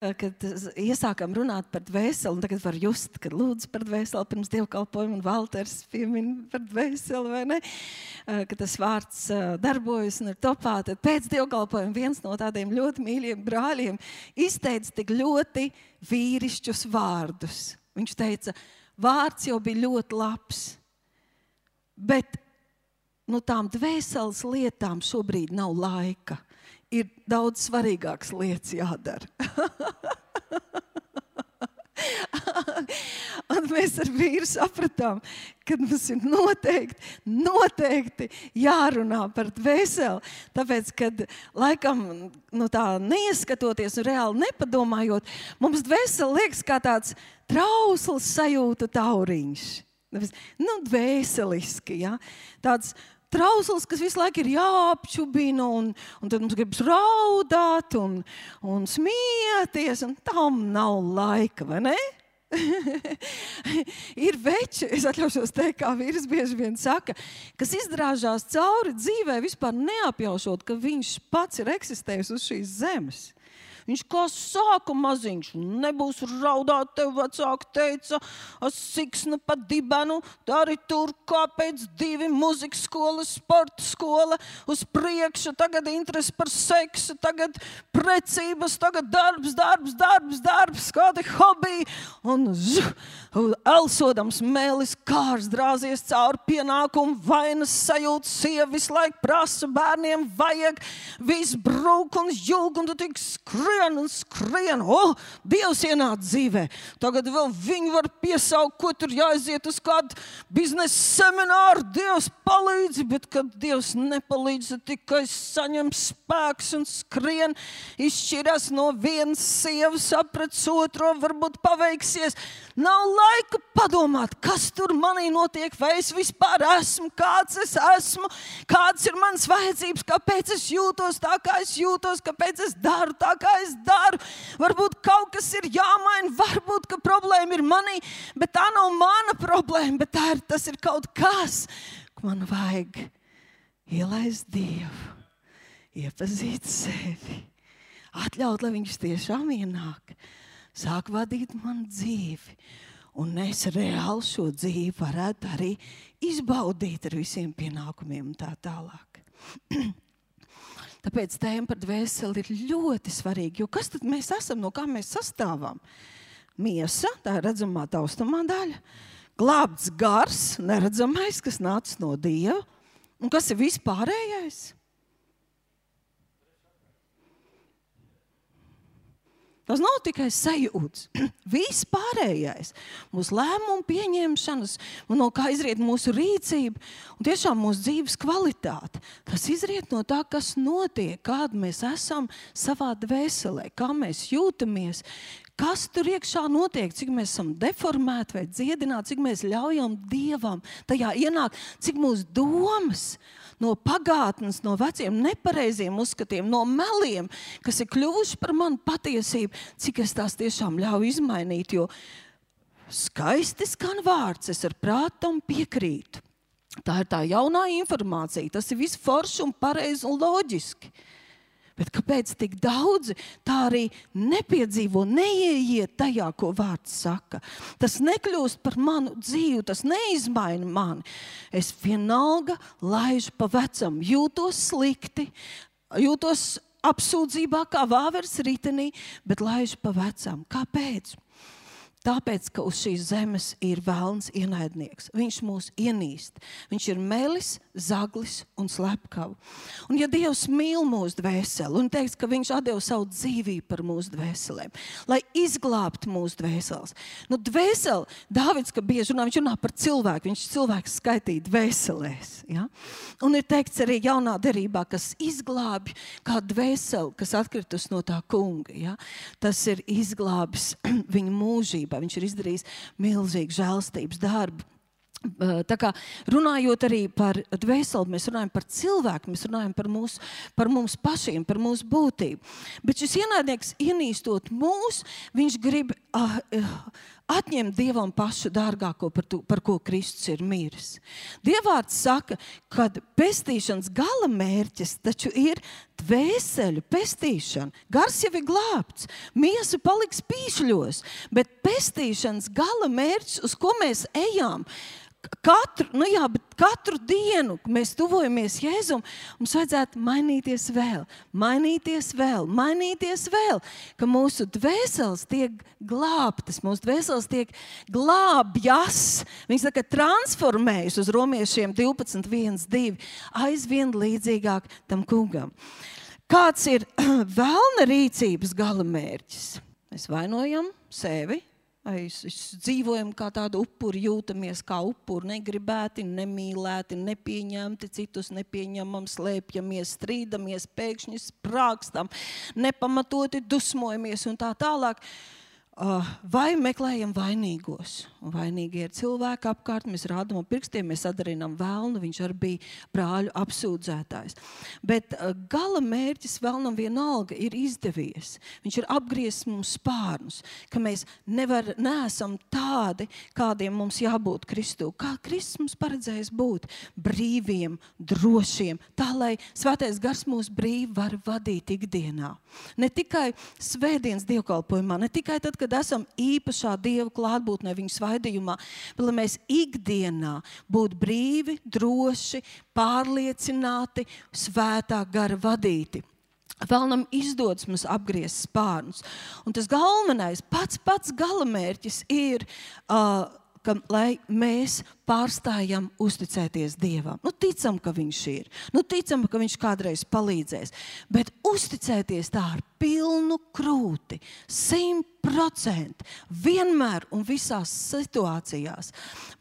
kad iesākām runāt par dvēseli, un tagad var just, kad lūdzu par dvēseli pirms dievkalpojuma, un Valters piemin par dvēseli, vai ne? Ka tas vārds darbojas un ir topā, tad pēc dievkalpojuma viens no tādiem ļoti mīļiem brāļiem izteica tik ļoti vīrišķus vārdus. Viņš teica, vārds jau bija ļoti labs, bet tām dvēseles lietām šobrīd nav laika. Ir daudz svarīgākas lietas jādara. Un mēs ar vīru sapratām, ka mums ir noteikti jārunā par dvēseli. Tāpēc, kad laikam tā neieskatoties un reāli nepadomājot, mums dvēseli liekas kā tāds trausls sajūtu tauriņš. Dvēseliski, ja? Tāds trausls, kas visu laiku ir jāapčubina, un tad mums gribas raudāt un smieties, un tam nav laika, vai ne? Ir veči, es atļaušos teikt, kā vīrs bieži vien saka, kas izdrāžās cauri dzīvē, vispār neapjaušot, ka viņš pats ir eksistējis uz šīs zemes. Viņš kā sāka maziņš, nebūs raudāt, tev vecāki teica, siksnu pa dibenu, dari tur kāpēc 2 muzikas skola, sporta skola, uz priekšu, tagad interesi par seksu, tagad precības, tagad darbs, kādi hobiji, un elsodams mēlis kārs drāzies cauri pienākumu, vainas sajūtas, sievis laik prasa, bērniem vajag, viss brūk un jūg, un tu tik skrien, Dievs ienāc dzīvē. Tagad vēl viņi var piesaukt, ko tur jāaiziet uz kādu biznesa semināru. Dievs palīdzi, bet kad Dievs nepalīdz, tikai saņem spēks un skrien, izšķirās no vienas sievas, aprec otro, varbūt paveiksies. Nav laika padomāt, kas tur manī notiek, vai es vispār esmu, kāds es esmu, kāds ir mans vajadzības, kāpēc es jūtos tā, kā es jūtos, kāpēc es daru tā, kā es daru. Varbūt kaut kas ir jāmaina, varbūt, ka problēma ir manī, bet tā nav mana problēma, bet tas ir kaut kas, ko man vajag ielaist Dievu, iepazīt sevi, atļaut, lai viņš tiešām ienāk, sāk vadīt man dzīvi, un es reāli šo dzīvi varētu arī izbaudīt ar visiem pienākumiem un tā tālāk. Tāpēc tēma par dvēseli ir ļoti svarīga, jo kas tad mēs esam, no kā mēs sastāvam? Miesa, tā ir redzamā taustamā daļa, glābts gars, neredzamais, kas nācis no Dieva, un kas ir vispārējais? Tas nav tikai sajūts, viss pārējais, mūsu lēmumu pieņemšanas, no kā izriet mūsu rīcība un tiešām mūsu dzīves kvalitāte. Tas izriet no tā, kas notiek, kāda mēs esam savā dvēselē, kā mēs jūtamies, kas tur iekšā notiek, cik mēs esam deformēti vai dziedināti, cik mēs ļaujam Dievam tajā ienākt, cik mūsu domas no pagātnes, no veciem nepareiziem uzskatiem, no meliem, kas ir kļuvuši par manu patiesību, cik es tās tiešām ļauju izmainīt, jo skaisti skan vārds, es ar prātam piekrītu. Tā ir tā jaunā informācija, tas ir viss forši un pareizi un loģiski. Bet kāpēc tik daudzi tā arī nepiedzīvo, neieiet tajā, ko vārds saka? Tas nekļūst par manu dzīvi, tas neizmaina mani. Es vienalga laižu pa vecam, jūtos slikti, jūtos apsūdzībā kā vāveres ritenī, bet laižu pa vecam. Kāpēc? Tāpēc, ka uz šīs zemes ir velns ienaidnieks. Viņš mūs ienīst. Viņš ir melis, zaglis un slepkava. Un ja Dievs mīl mūsu dvēseli un teiks, ka viņš atdeva savu dzīvību par mūsu dvēselēm, lai izglābtu mūsu dvēseles. Dvēseli, Dāvids, ka bieži runā, viņš runā par cilvēku, viņš cilvēks skaitīja dvēselēs. Ja? Un ir teikts arī jaunā derībā, kas izglābi kā dvēseli, kas atkritus no tā kunga. Ja? Tas ir izglābis viņa mūžību. Viņš ir izdarījis milzīgu žēlstības darbu. Tā kā runājot arī par dvēseli, mēs runājam par cilvēku, mēs runājam par mums pašiem, par mūsu būtību. Bet šis ienaidnieks ienīstot mūs, viņš grib atņemt Dievam pašu dārgāko, par ko Kristus ir miris. Dievvārds saka, ka pestīšanas gala mērķis taču ir dvēseļu pestīšana. Gars jau ir glābts, miesa paliks pīšļos, bet pestīšanas gala mērķis, uz ko mēs ejam, katru dienu, kad mēs tuvojamies Jēzum, mums vajadzētu mainīties vēl, ka mūsu dvēseles tiek glābtas, mūsu dvēseles tiek glābjas. Viņi saka, transformējas uz Romiešiem 12:1-2, aizvien līdzīgāk tam kungam. Kāds ir velna rīcības gala mērķis? Mēs vainojam sevi. Mēs dzīvojam kā tādi upuri, jūtamies kā upuri, negribēti, nemīlēti, nepieņemti, citus nepieņemam, slēpjamies, strīdamies, pēkšņi sprākstam, nepamatoti dusmojamies un tā tālāk. Vai meklējam vainīgos? Un vainīgi ir cilvēki apkārt, mēs rādam ar pirkstiem, mēs atdarinām velnu, viņš arī bija brāļu apsūdzētājs. Bet gala mērķis velnam vienalga ir izdevies. Viņš ir apgriezis mums spārnus, ka mēs neesam tādi, kādiem mums jābūt Kristū. Kā Kristus mums paredzējis būt? Brīviem, drošiem, tā lai Svētais Gars mūs brīvi var vadīt ikdienā. Ne tikai svētdienas dievkalpojumā, ne tikai tad, kad esam īpašā Dieva klātbūtnē viņa svaidījumā, bet lai mēs ikdienā būtu brīvi, droši, pārliecināti, Svētā Gara vadīti. Vēlnam izdodas mums apgriezt spārnus. Un tas galvenais, pats galamērķis ir, lai mēs pārstājam uzticēties Dievam. Ticam, ka viņš ir. Ticam, ka viņš kādreiz palīdzēs. Bet uzticēties tā ar pilnu krūti, 100%, vienmēr un visās situācijās.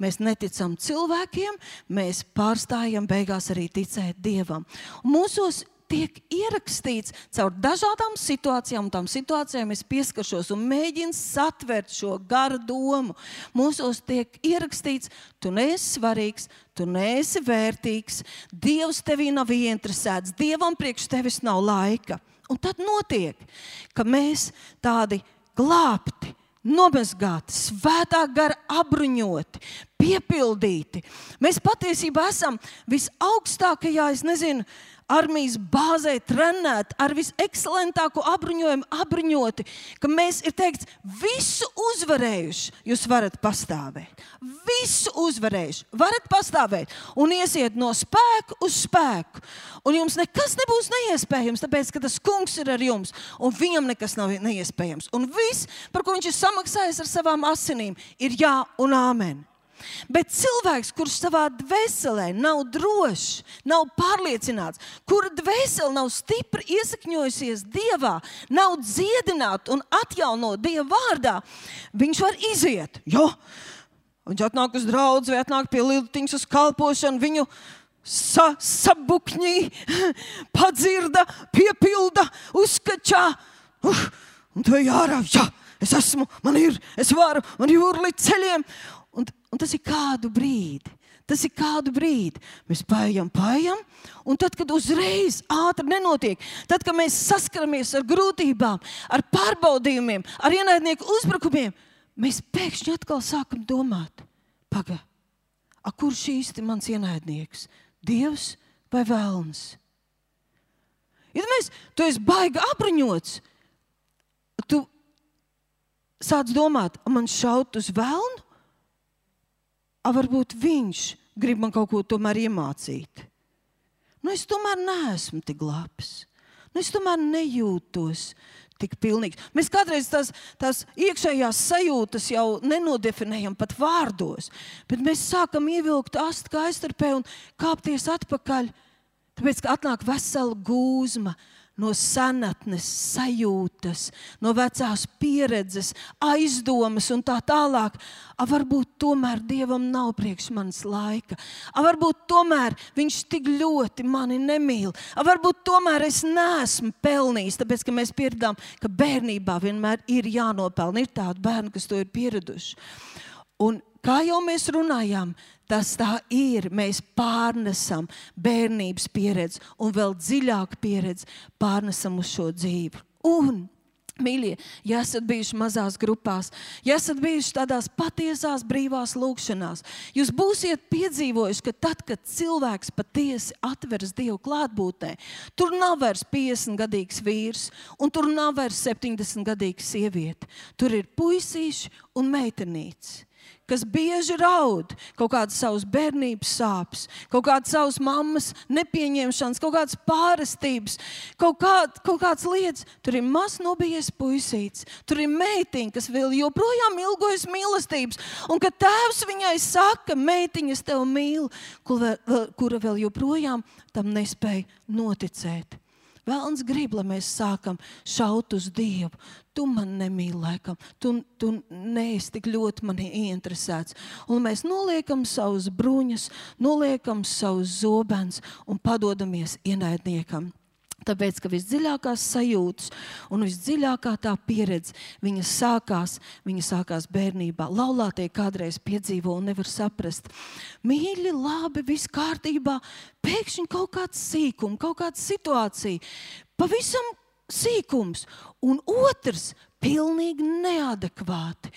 Mēs neticam cilvēkiem, mēs pārstājam beigās arī ticēt Dievam. Un mūsos tiek ierakstīts caur dažādām situācijām, un tām situācijām es pieskaršos un mēģinu satvert šo garu domu. Mūsos tiek ierakstīts, tu neesi svarīgs, tu neesi vērtīgs, Dievs tevī nav ieinteresēts, Dievam priekš tevis nav laika. Un tad notiek, ka mēs tādi glābti, nomazgāti, Svētā Gara apbruņoti, piepildīti. Mēs patiesībā esam visaugstākajā, armijas bāzē trenēti, ar visekscelentāko apbruņojumu apbruņoti, ka mēs ir teikts, visu uzvarējuši, jūs varat pastāvēt. Visu uzvarējuši, varat pastāvēt un iesiet no spēku uz spēku. Un jums nekas nebūs neiespējams, tāpēc, ka tas kungs ir ar jums un viņam nekas nav neiespējams. Un viss, par ko viņš ir samaksājis ar savām asinīm, ir jā un āmen. Bet cilvēks, kurš savā dvēselē nav drošs, nav pārliecināts, kura dvēsele nav stipri iesakņojusies Dievā, nav dziedināta un atjaunot Dieva vārdā, viņš var iziet. Jo, viņš atnāk uz draudzi vai atnāk pie Liltiņas uz kalpošanu, viņu sabukņī, padzirda, piepilda, uzskačā. Un tu jārā, jā, es esmu, man ir, es varu, man jūra līdz ceļiem. Un tas ir kādu brīdi. Mēs paejam, un tad, kad uzreiz ātri nenotiek, tad, kad mēs saskaramies ar grūtībām, ar pārbaudījumiem, ar ienaidnieku uzbrukumiem, mēs pēkšņi atkal sākam domāt, kurš īsti mans ienaidnieks? Dievs vai velns? Ja tu esi baigi apbruņots, tu sāc domāt, man šaut uz velnu? Varbūt viņš grib man kaut ko tomēr iemācīt. Es tomēr neesmu tik labs. Es tomēr nejūtos tik pilnīgs. Mēs kādreiz tās iekšējās sajūtas jau nenodefinējam pat vārdos, bet mēs sākam ievilkt astu kā aiztarpē un kāpties atpakaļ, tāpēc, ka atnāk vesela gūzma no senatnes, sajūtas, no vecās pieredzes, aizdomas un tā tālāk. Varbūt tomēr Dievam nav priekš manis laika. Varbūt tomēr viņš tik ļoti mani nemīl. Varbūt tomēr es neesmu pelnījis, tāpēc, ka mēs pieredām, ka bērnībā vienmēr ir jānopelna. Ir tādi bērni, kas to ir pieraduši. Un kā jau mēs runājām, tas tā ir, mēs pārnesam bērnības pieredzi un vēl dziļāku pieredzi pārnesam uz šo dzīvi. Un Mīļie, ja esat bijuši mazās grupās, ja esat bijuši tādās patiesās brīvās lūkšanās, jūs būsiet piedzīvojuši, ka tad, kad cilvēks patiesi atveras Dievu klātbūtnē, tur nav vairs 50-gadīgs vīrs un tur nav vairs 70-gadīga sieviete. Tur ir puisīši un meitenītes, kas bieži raud kaut kādas savas bērnības sāpes, kaut kādas savas mammas nepieņemšanas, kaut kādas pārestības, kaut kādas lietas. Tur ir mazs nobijies puisīts, tur ir meitiņa, kas vēl joprojām ilgojas mīlestības, un kad tēvs viņai saka, meitiņa, es tevi mīlu, kura vēl joprojām tam nespēja noticēt. Velns grib, lai mēs sākam šaut uz Dievu. Tu man nemīli laikam, tu neesi tik ļoti mani ieinteresēts. Un mēs noliekam savus bruņas, noliekam savus zobens un padodamies ienaidniekam. Tāpēc, ka visdziļākās sajūtas un visdziļākā tā pieredze, viņa sākās bērnībā. Laulātie kādreiz piedzīvo un nevar saprast. Mīļi, labi, viss kārtībā, pēkšņi kaut kāds sīkums, kaut kāda situācija, pavisam sīkums, un otrs pilnīgi neadekvāti.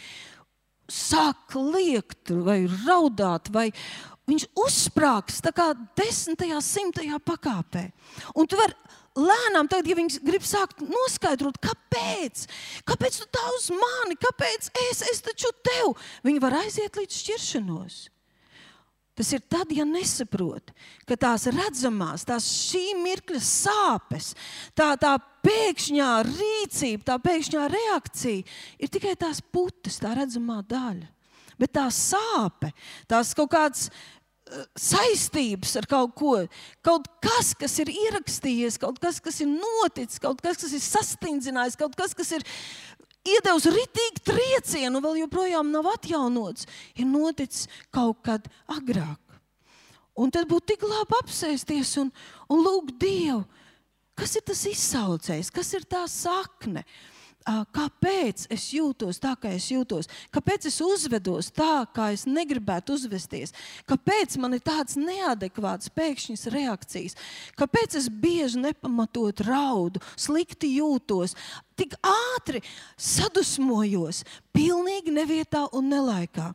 Sāk liekt vai raudāt, vai viņš uzsprāgs tā kā 10., 100. pakāpē. Un tu vari lēnām, tagad, ja viņi grib sākt noskaidrot, kāpēc? Kāpēc tu tā uz mani? Kāpēc es taču tev? Viņi var aiziet līdz šķiršanos. Tas ir tad, ja nesaprot, ka tās redzamās, tās šī mirkļa sāpes, tā pēkšņā rīcība, tā pēkšņā reakcija ir tikai tās putas, tā redzamā daļa. Bet tā sāpe, tās kaut kāds saistības ar kaut ko, kaut kas ir ierakstījies, kaut kas ir noticis, kaut kas ir sastingzinājis, kaut kas ir iedevis ritīgi triecienu un vēl joprojām nav atjaunots, ir noticis kaut kad agrāk. Un tad būtu tik labi apsēsties un lūgt Dievu, kas ir tas izsaucējs, kas ir tā sakne. Kāpēc es jūtos tā, kā es jūtos? Kāpēc es uzvedos tā, kā es negribētu uzvesties? Kāpēc man ir tāds neadekvāts pēkšņas reakcijas? Kāpēc es bieži nepamatot raudu, slikti jūtos, tik ātri sadusmojos, pilnīgi nevietā un nelaikā?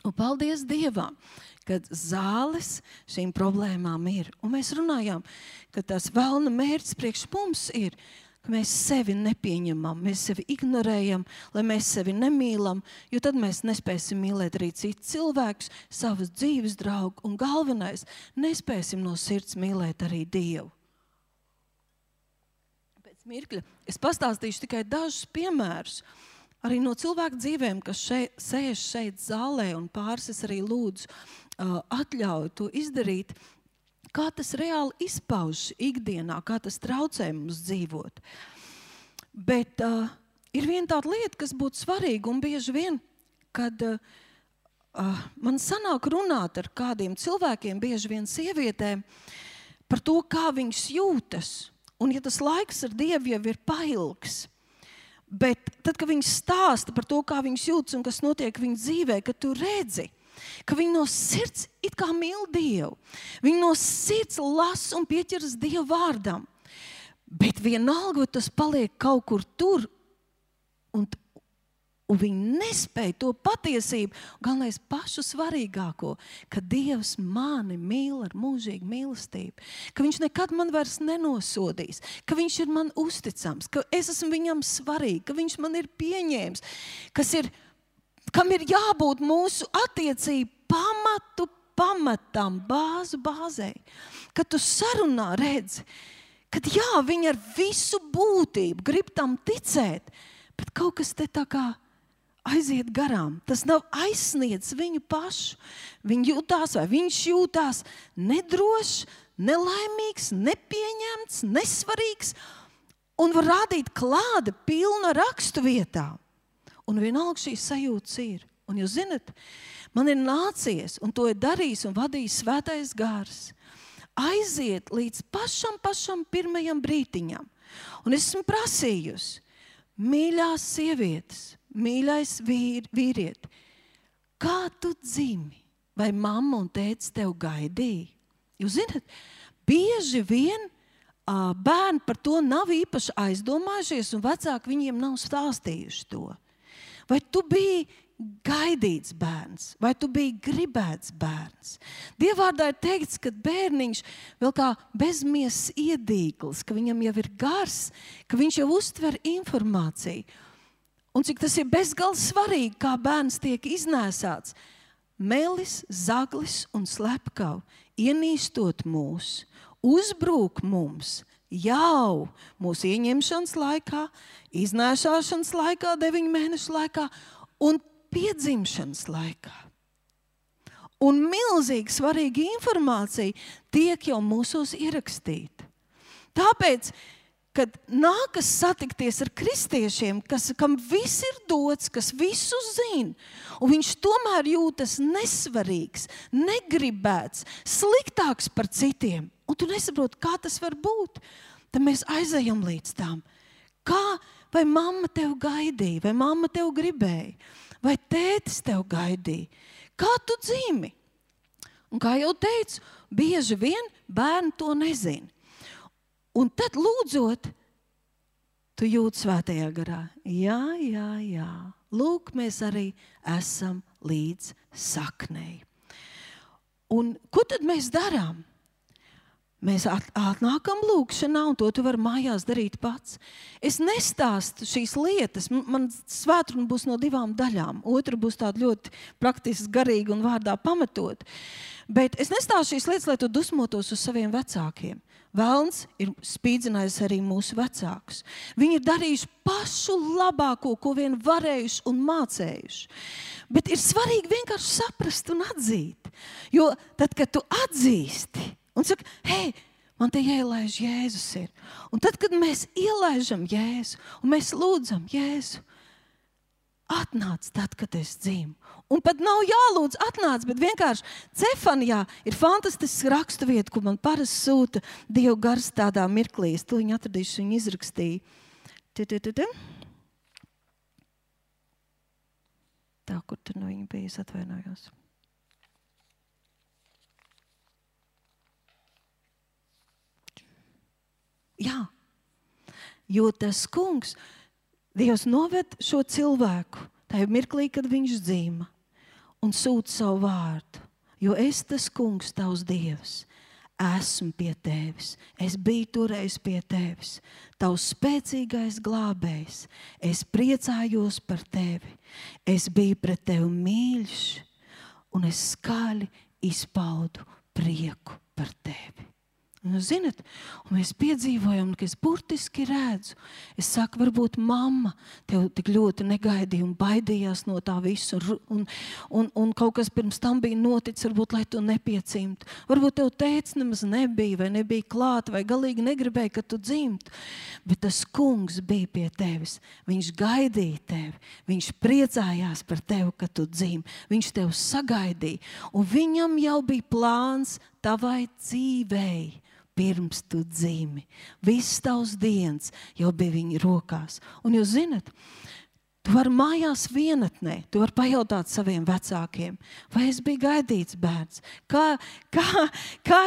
Un paldies Dievam, kad zāles šīm problēmām ir. Un mēs runājām, ka tās velna mērķis priekš mums ir, ka mēs sevi nepieņemam, mēs sevi ignorējam, lai mēs sevi nemīlam, jo tad mēs nespēsim mīlēt arī citus cilvēkus, savus dzīves draugu, un galvenais, nespēsim no sirds mīlēt arī Dievu. Pēc mirkļa es pastāstīšu tikai dažus piemērus, arī no cilvēku dzīvēm, kas sēž šeit zālē, un pāris es arī lūdzu atļauju to izdarīt, kā tas reāli izpaužas ikdienā, kā tas traucē mums dzīvot. Bet ir viena tāda lieta, kas būtu svarīga, un bieži vien, kad man sanāk runāt ar kādiem cilvēkiem, bieži vien sievietēm, par to, kā viņas jūtas. Un ja tas laiks ar Dievu jau ir pailgs, bet tad, kad viņas stāsta par to, kā viņas jūtas un kas notiek viņas dzīvē, kad tu redzi, ka viņi no sirds it kā mīl Dievu. Viņi no sirds lasa un pieķeras Dievu vārdam. Bet vienalga tas paliek kaut kur tur, un viņi nespēja to patiesību, galvenais pašu svarīgāko, ka Dievs mani mīl ar mūžīgu mīlestību, ka viņš nekad man vairs nenosodīs, ka viņš ir man uzticams, ka es esmu viņam svarīgi, ka viņš man ir pieņēmis, kam ir jābūt mūsu attiecību pamatam, bāzei. Kad tu sarunā redzi, kad viņi ar visu būtību grib tam ticēt, bet kaut kas te tā kā aiziet garām. Tas nav aizsniedz viņu pašu. Viņš jūtās nedrošs, nelaimīgs, nepieņemts, nesvarīgs un var rādīt klāda pilna rakstu vietā. Un vienalga šīs sajūtas ir. Un jūs zinat, man ir nācies, un to ir darījis un vadījis Svētais Gars, aiziet līdz pašam pirmajam brītiņam. Un es esmu prasījusi, mīļās sievietes, mīļais vīrieti, kā tu dzimi? Vai mamma un tētis tev gaidīja? Jūs zinat, bieži vien bērni par to nav īpaši aizdomājušies, un vecāki viņiem nav stāstījuši to. Vai tu biji gaidīts bērns, vai tu biji gribēts bērns? Dievvārdā ir teikts, ka bērniņš vēl kā bezmiesas iedīglis, ka viņam jau ir gars, ka viņš jau uztver informāciju. Un cik tas ir bezgalīgi svarīgi, kā bērns tiek iznēsāts. Melis, zaglis un slepkavu, ienīstot mūs, uzbrūk mums jau mūsu ieņemšanas laikā, iznēsāšanas laikā, 9 mēnešu laikā un piedzimšanas laikā. Un milzīgi svarīga informācija tiek jau mūsos ierakstīta. Tāpēc, kad nākas satikties ar kristiešiem, kam viss ir dots, kas visu zina, un viņš tomēr jūtas nesvarīgs, negribēts, sliktāks par citiem, un tu nesaproti, kā tas var būt, tad mēs aizejam līdz tām. Vai mamma tev gaidīja, vai mamma tev gribēja? Vai tētis tev gaidīja? Kā tu dzīvi? Un kā jau teicu, bieži vien bērni to nezina. Un tad lūdzot, tu jūti svētajā garā. Jā. Lūk, mēs arī esam līdz saknei. Un ko tad mēs darām? Mēs atnākam lūkšanā, un to tu vari mājās darīt pats. Es nestāstu šīs lietas. Man svētkruna būs no 2 daļām. Otra būs tāda ļoti praktiski garīga un vārdā pamatot. Bet es nestāstu šīs lietas, lai tu dusmotos uz saviem vecākiem. Velns ir spīdzinājis arī mūsu vecākus. Viņi ir darījuši pašu labāko, ko vien varējuši un mācējuši. Bet ir svarīgi vienkārši saprast un atzīt. Jo tad, kad tu atzīsti, un saka, hei, man te ielaiž Jēzus ir. Un tad, kad mēs ielaižam Jēzu, un mēs lūdzam Jēzu, atnāc tad, kad es dzīvu. Un pat nav jālūdz atnāc, bet vienkārši Cefanijā ir fantastisks rakstu vieta, ko man parasti sūta Dieva gars tādā mirklī. Es to viņu atradīšu, viņu izrakstīju. Tā, kur tur no viņa bija, es atvainojos. Jā, jo tas kungs, Dievs noved šo cilvēku tajā mirklī, kad viņš dzīva un sūta savu vārdu. Jo es tas kungs, tavs Dievs, esmu pie tevis. Es biju toreiz pie tevis. Tavs spēcīgais glābējs. Es priecājos par tevi. Es biju pret tevi mīļš un es skaļi izpaudu prieku par tevi. Un, zinat, un mēs piedzīvojam, ka es burtiski redzu. Es saku, varbūt mamma tev tik ļoti negaidīja un baidījās no tā visu. Un kaut kas pirms tam bija noticis, varbūt, lai tu nepiedzimtu. Varbūt tev tēvs nemaz nebija, vai nebija klāt, vai galīgi negribēja, ka tu dzimtu. Bet tas kungs bija pie tevis. Viņš gaidīja tevi. Viņš priecājās par tevi, ka tu dzim. Viņš tev sagaidīja. Un viņam jau bija plāns tavai dzīvei. Pirms tu dzīvi. Viss tavs dienas jau bija viņa rokās. Un jūs zinat, tu vari mājās vienatnē, tu vari pajautāt saviem vecākiem, vai es biju gaidīts bērns, kā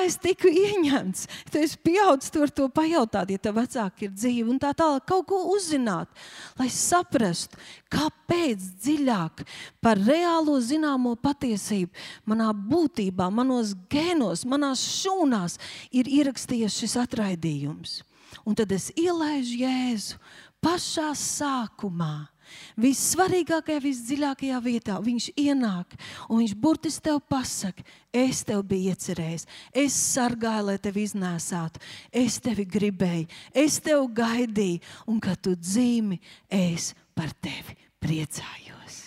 es tiku ieņemts. Tu esi pieaudzis, tu vari to pajautāt, ja tev vecāki ir dzīvi un tā tālāk kaut ko uzzināt, lai saprastu, kāpēc dziļāk par reālo zināmo patiesību manā būtībā, manos gēnos, manās šūnās ir ierakstījies šis atraidījums. Un tad es ielaižu Jēzu pašā sākumā. Vissvarīgākajā, visdziļākajā vietā viņš ienāk un viņš burtiski tev pasaka, es tev biju iecerējis, es sargāju, lai tevi iznēsātu, es tevi gribēju, es tev gaidīju un kad tu dzīvi, es par tevi priecājos.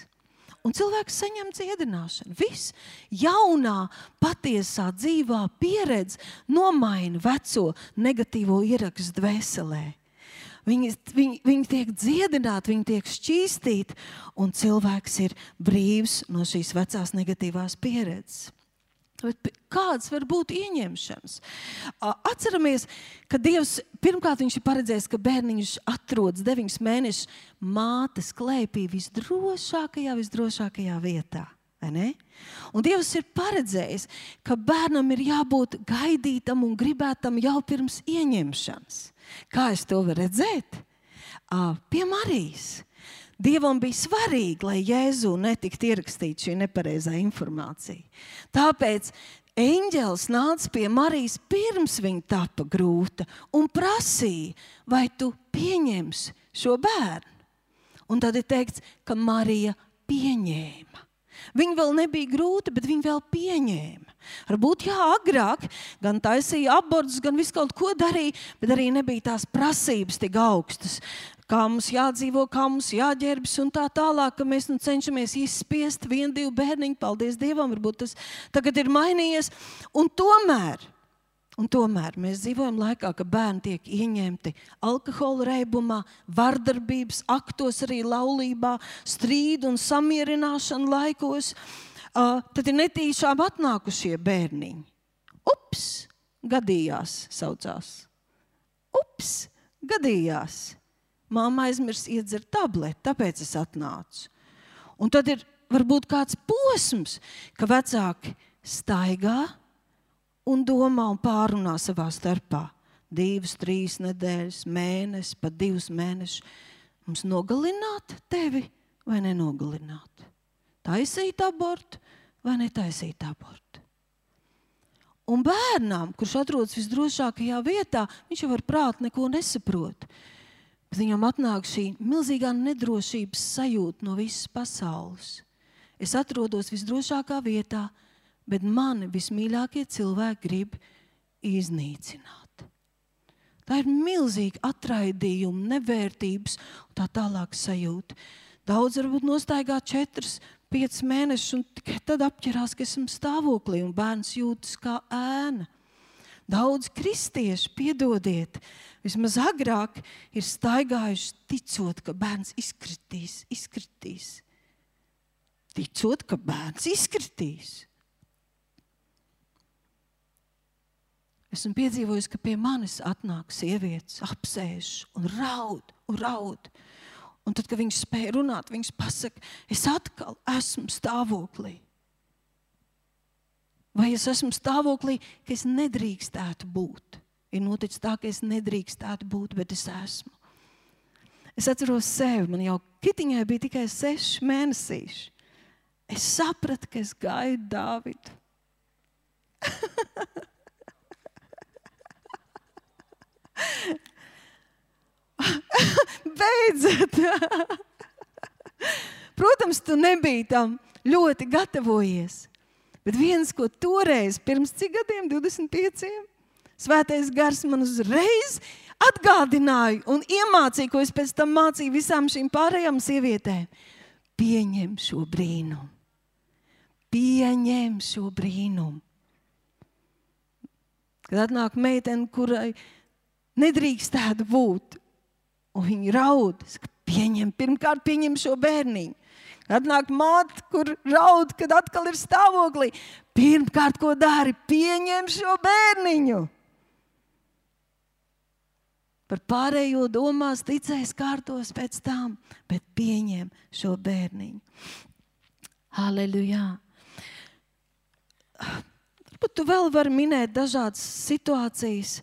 Un cilvēks saņem dziedināšanu. Viss jaunā, patiesā, dzīvā pieredze nomaina veco negatīvo ierakstu dvēselē. Viņi tiek dziedināti, viņi tiek šķīstīti, un cilvēks ir brīvs no šīs vecās negatīvās pieredzes. Bet kāds var būt ieņemšanas? Atceramies, ka Dievs pirmkārt viņš ir paredzējis, ka bērniņš atrodas 9 mēnešus mātes klēpī visdrošākajā vietā. vai ne? Un Dievs ir paredzējis, ka bērnam ir jābūt gaidītam un gribētam jau pirms ieņemšanas. Kā es to varu redzēt? Pie Marijas. Dievam bija svarīgi, lai Jēzu netiktu ierakstīta šī nepareizā informācija. Tāpēc eņģelis nāca pie Marijas pirms viņa tapa grūta un prasīja, vai tu pieņemsi šo bērnu. Un tad ir teikts, ka Marija pieņēma. Viņa vēl nebija grūta, bet viņa vēl pieņēma. Varbūt agrāk gan taisīja abortus, gan visu kaut ko darīja, bet arī nebija tās prasības tik augstas. Kā mums jādzīvo, kā mums jāģērbjas un tā tālāk, ka mēs cenšamies izspiest 1-2 bērniņu. Paldies Dievam, varbūt tas tagad ir mainījies. Un tomēr mēs dzīvojam laikā, ka bērni tiek ieņemti alkohola reibumā, vardarbības aktos, arī laulībā, strīdu un samierināšanu laikos. Tad ir netīšām atnākušie bērniņi. Ups, gadījās saucās. Ups, gadījās. Māma aizmirs iedzert tableti, tāpēc es atnācu. Un tad ir varbūt kāds posms, ka vecāki staigā un domā un pārunā savā starpā. 2, 3 nedēļas, mēnesi, pat 2 mēnešus. Mums nogalināt tevi vai nenogalināt? Taisīt abortu vai netaisīt abortu? Un bērnām, kurš atrodas visdrošākajā vietā, viņš jau ar prātu neko nesaprot. Bet viņam atnāk šī milzīgā nedrošības sajūta no visas pasaules. Es atrodos visdrošākā vietā, bet mani vismīļākie cilvēki grib iznīcināt. Tā ir milzīga atraidījuma, nevērtības un tā tālāk sajūta. Daudz varbūt nostaigā 4-5 mēnešus un tikai tad apķerās, ka esam stāvoklī un bērns jūtas kā ēna. Daudz kristieši, piedodiet, vismaz agrāk ir staigājuši ticot, ka bērns izkritīs. Ticot, ka bērns izkritīs. Esmu piedzīvojusi, ka pie manis atnāk sievietes, apsēž un raud. Un tad, kad viņš spēja runāt, viņš pasaka, es atkal esmu stāvoklī. Vai es esmu stāvoklī, ka es nedrīkstētu būt? Ir noticis tā, ka es nedrīkstētu būt, bet es esmu. Es atceros sevi, man jau Kitiņai bija tikai 6 mēnesīši. Es sapratu, ka es gaidu Dāvidu. Beidzot! Protams, tu nebija tam ļoti gatavojies. Bet viens, ko toreiz, pirms cik gadiem, 25, Svētais Gars man uzreiz atgādināja un iemācīja, ko es pēc tam mācīju visām šīm pārējām sievietēm. Pieņem šo brīnumu. Pieņem šo brīnumu. Kad atnāk meitene, kurai nedrīkstētu būt, un viņa raud, pirmkārt pieņem šo bērniņu. Atnāk māte, kur raud, kad atkal ir stāvoklī. Pirmkārt, ko dari? Pieņem šo bērniņu. Par pārējo domās, ticēs, kārtos pēc tam, bet pieņem šo bērniņu. Halleluja. Varbūt tu vēl vari minēt dažādas situācijas.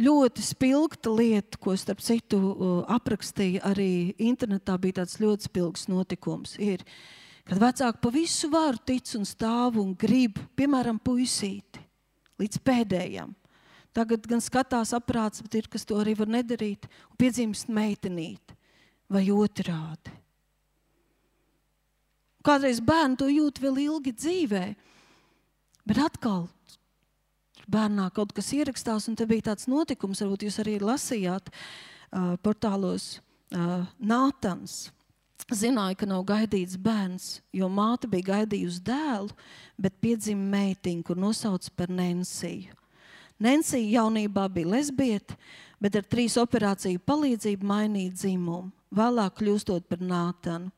Ļoti spilgta lieta, ko starp citu aprakstīja arī internetā, bija tāds ļoti spilgs notikums, ir, kad vecāki pa visu varu tic un stāv un grib, piemēram, puisīti, līdz pēdējam. Tagad gan skatās aprāts, bet ir, kas to arī var nedarīt, un piedzimst meitenīti vai otrādi. Kādreiz bērni to jūt vēl ilgi dzīvē, bet atkal bērnā kaut kas ierakstās, un te bija tāds notikums, varbūt jūs arī lasījāt portālos Nātans. Zināja, ka nav gaidīts bērns, jo māte bija gaidījusi dēlu, bet piedzima meitiņu, kur nosauc par Nensiju. Nensija jaunībā bija lesbieta, bet ar 3 operāciju palīdzību mainīja dzimumu, vēlāk kļūstot par Nātanu.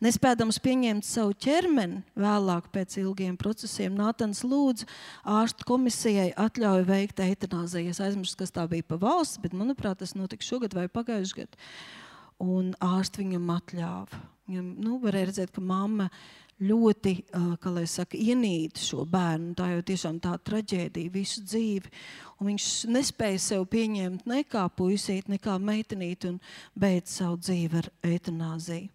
Nespēdams pieņemt savu ķermeni, vēlāk pēc ilgiem procesiem, Nātans lūdza ārstu komisijai atļauju veikt eitanāziju. Es aizmirstu, kas tā bija pa valsts, bet, manuprāt, tas notika šogad vai pagājuši gadu. Un ārsti viņam atļāva. Viņam, varēja redzēt, ka mamma ļoti, kā lai saka, ienīda šo bērnu. Tā jau tiešām tā traģēdija visu dzīvi. Un viņš nespēja sev pieņemt ne kā puisīt, ne kā meitenīt un beidz savu dzīvi ar eitanāziju.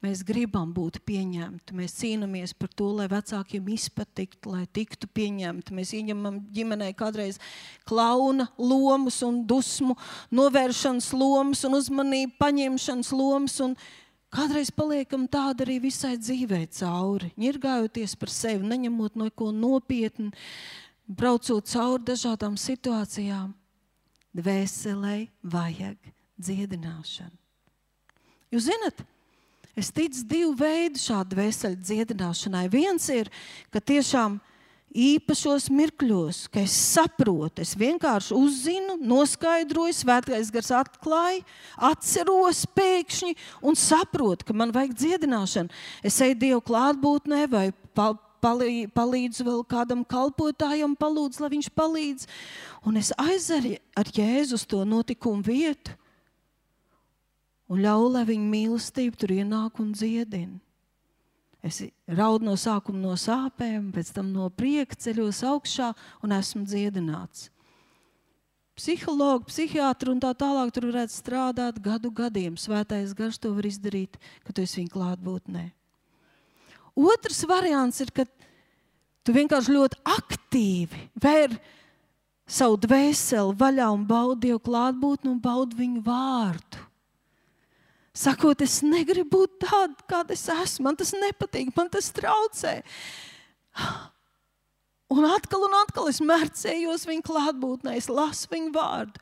Mēs gribam būt pieņemti, mēs cīnāmies par to, lai vecākiem izpatiktu, lai tiktu pieņemti. Mēs ieņemam ģimenē kādreiz klauna lomas un dusmu, novēršanas lomas un uzmanību paņemšanas lomas, un kādreiz paliekam tāda arī visai dzīvē cauri, ņirgājoties par sevi, neņemot neko nopietni, braucot cauri dažādām situācijām. Dvēselei vajag dziedināšanu. Jūs zinat, es ticu divu veidu šādu dvēseli dziedināšanai. Viens ir, ka tiešām īpašos mirkļos, ka es saprotu, es vienkārši uzzinu, noskaidroju, svētais gars atklāja, atceros pēkšņi un saprotu, ka man vajag dziedināšanu. Es eju Dievu klātbūtnē vai palīdzu vēl kādam kalpotājam, palūdzu, lai viņš palīdz. Un es aizeru ar Jēzu uz to notikumu vietu. Un ļauj, lai viņa mīlestība tur ienāk un dziedina. Es raudu no sākuma no sāpēm, pēc tam no prieka ceļos augšā un esmu dziedināts. Psihologi, psihiatri un tā tālāk tur varētu strādāt gadiem. Svētais gars to var izdarīt, ka tu esi viņa klātbūtnē. Otrs variants ir, ka tu vienkārši ļoti aktīvi vēr savu dvēseli vaļā un baudi Dievu klātbūtni un baudi viņu vārdu. Sakot, es negribu būt tāda, kāda es esmu, man tas nepatīk, man tas traucē. Un atkal es mērcējos viņa klātbūtnē, es lasu viņu vārdu.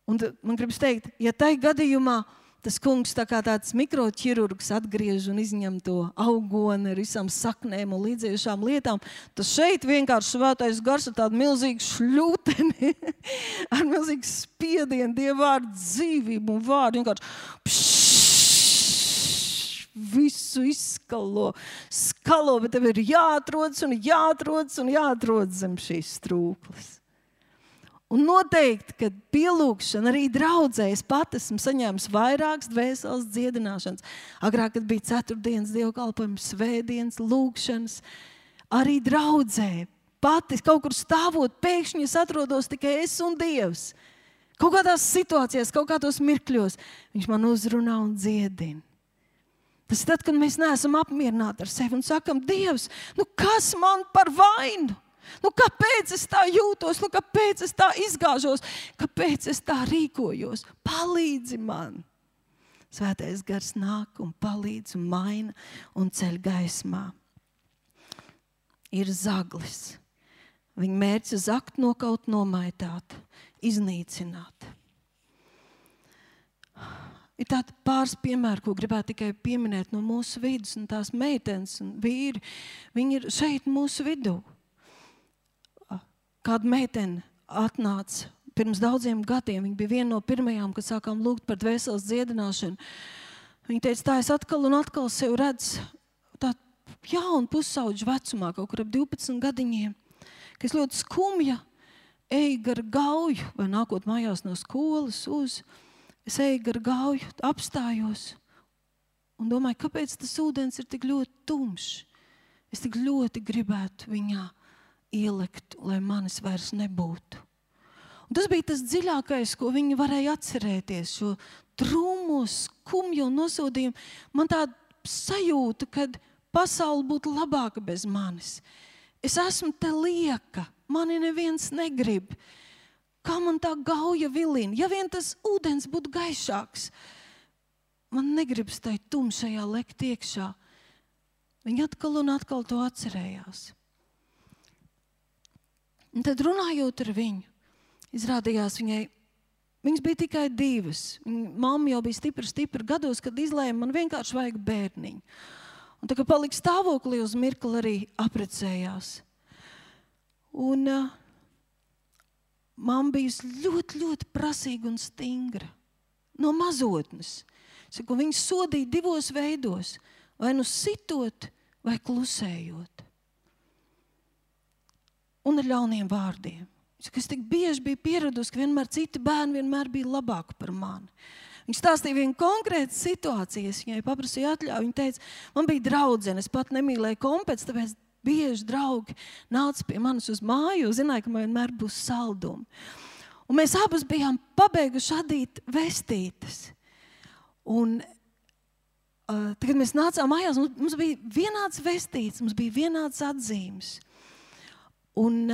Un man gribas teikt, ja tai gadījumā tas kungs tā kā tāds mikroķirurgs atgriež un izņem to augoni ar visām saknēm un līdzējušām lietām, tas šeit vienkārši svētais gars ar tādu milzīgu šļūteni, ar milzīgu spiedienu, Dieva vārdu dzīvību un vārdu vienkārši visu izskalo, bet tev ir jāatrodas zem šīs strūklas. Un noteikti, kad pielūgšana arī draudzē, es pat esmu saņēmis vairākas dvēseles dziedināšanas. Agrāk, kad bija ceturtdienas dievkalpojums, svētdienas, lūgšanas, arī draudzē. Pati kaut kur stāvot, pēkšņi es atrodos tikai es un Dievs. Kaut kādās situācijās, kaut kādos mirkļos viņš man uzrunā un dziedina. Tas ir tad, kad mēs neesam apmierināti ar sevi un sakam, Dievs, kas man par vainu? Kāpēc es tā jūtos? Kāpēc es tā izgāžos? Kāpēc es tā rīkojos? Palīdzi man! Svētais gars nāk un palīdz un maina un ceļ gaismā. Ir zaglis. Viņa mērķis zakt, nokaut, nomaitāt, iznīcināt. Ir tādi pāris piemēri, ko gribētu tikai pieminēt no mūsu vidus, un tās meitenes un vīri, viņi ir šeit mūsu vidū. Kāda meitene atnāca pirms daudziem gadiem. Viņa bija viena no pirmajām, kad sākām lūgt par dvēseles dziedināšanu. Viņa teica, tā es atkal un atkal sev redzu tā jaunu pusauģu vecumā, kaut kur ap 12 gadiņiem, ka es ļoti skumja eju gar gauju, vai nākot mājās no skolas es eju gar gauju, apstājos un domāju, kāpēc tas ūdens ir tik ļoti tumšs. Es tik ļoti gribētu viņā ielikt, lai manis vairs nebūtu. Un tas bija tas dziļākais, ko viņi varēja atcerēties, šo trumu, skumju un nosodījumu. Man tāda sajūta, kad pasaule būtu labāka bez manis. Es esmu te lieka, mani neviens negrib. Kā man tā gauja vilina? Ja vien tas ūdens būtu gaišāks, man negribas tai tumšajā lekt iekšā. Viņi atkal un atkal to atcerējās. Un tad runājot ar viņu, izrādījās viņas bija tikai 2. Mamma jau bija stipra gados, kad izlēma, man vienkārši vajag bērniņu. Un tā kā palika stāvoklī uz mirkli arī aprecējās. Un mamma bija ļoti, ļoti prasīga un stingra. No mazotnes. Viņu sodīja 2 veidos. Vai sitot, vai klusējot. Un ar ļauniem vārdiem. Es tik bieži biju pieradusi, ka vienmēr citi bērni vienmēr bija labāki par mani. Viņš stāstīja vienu konkrētu situāciju, es viņai paprasīju atļauju. Viņa teica, man bija draudzene, es pat nemīlēju kompets, tāpēc bieži draugi nāca pie manis uz māju, zināja, ka man vienmēr būs saldumi. Un mēs abas bijām pabeiguši adīt vestītes. Un kad mēs nācām mājās, mums bija vienāds vestīts, mums bija vienāds atzīmes. Un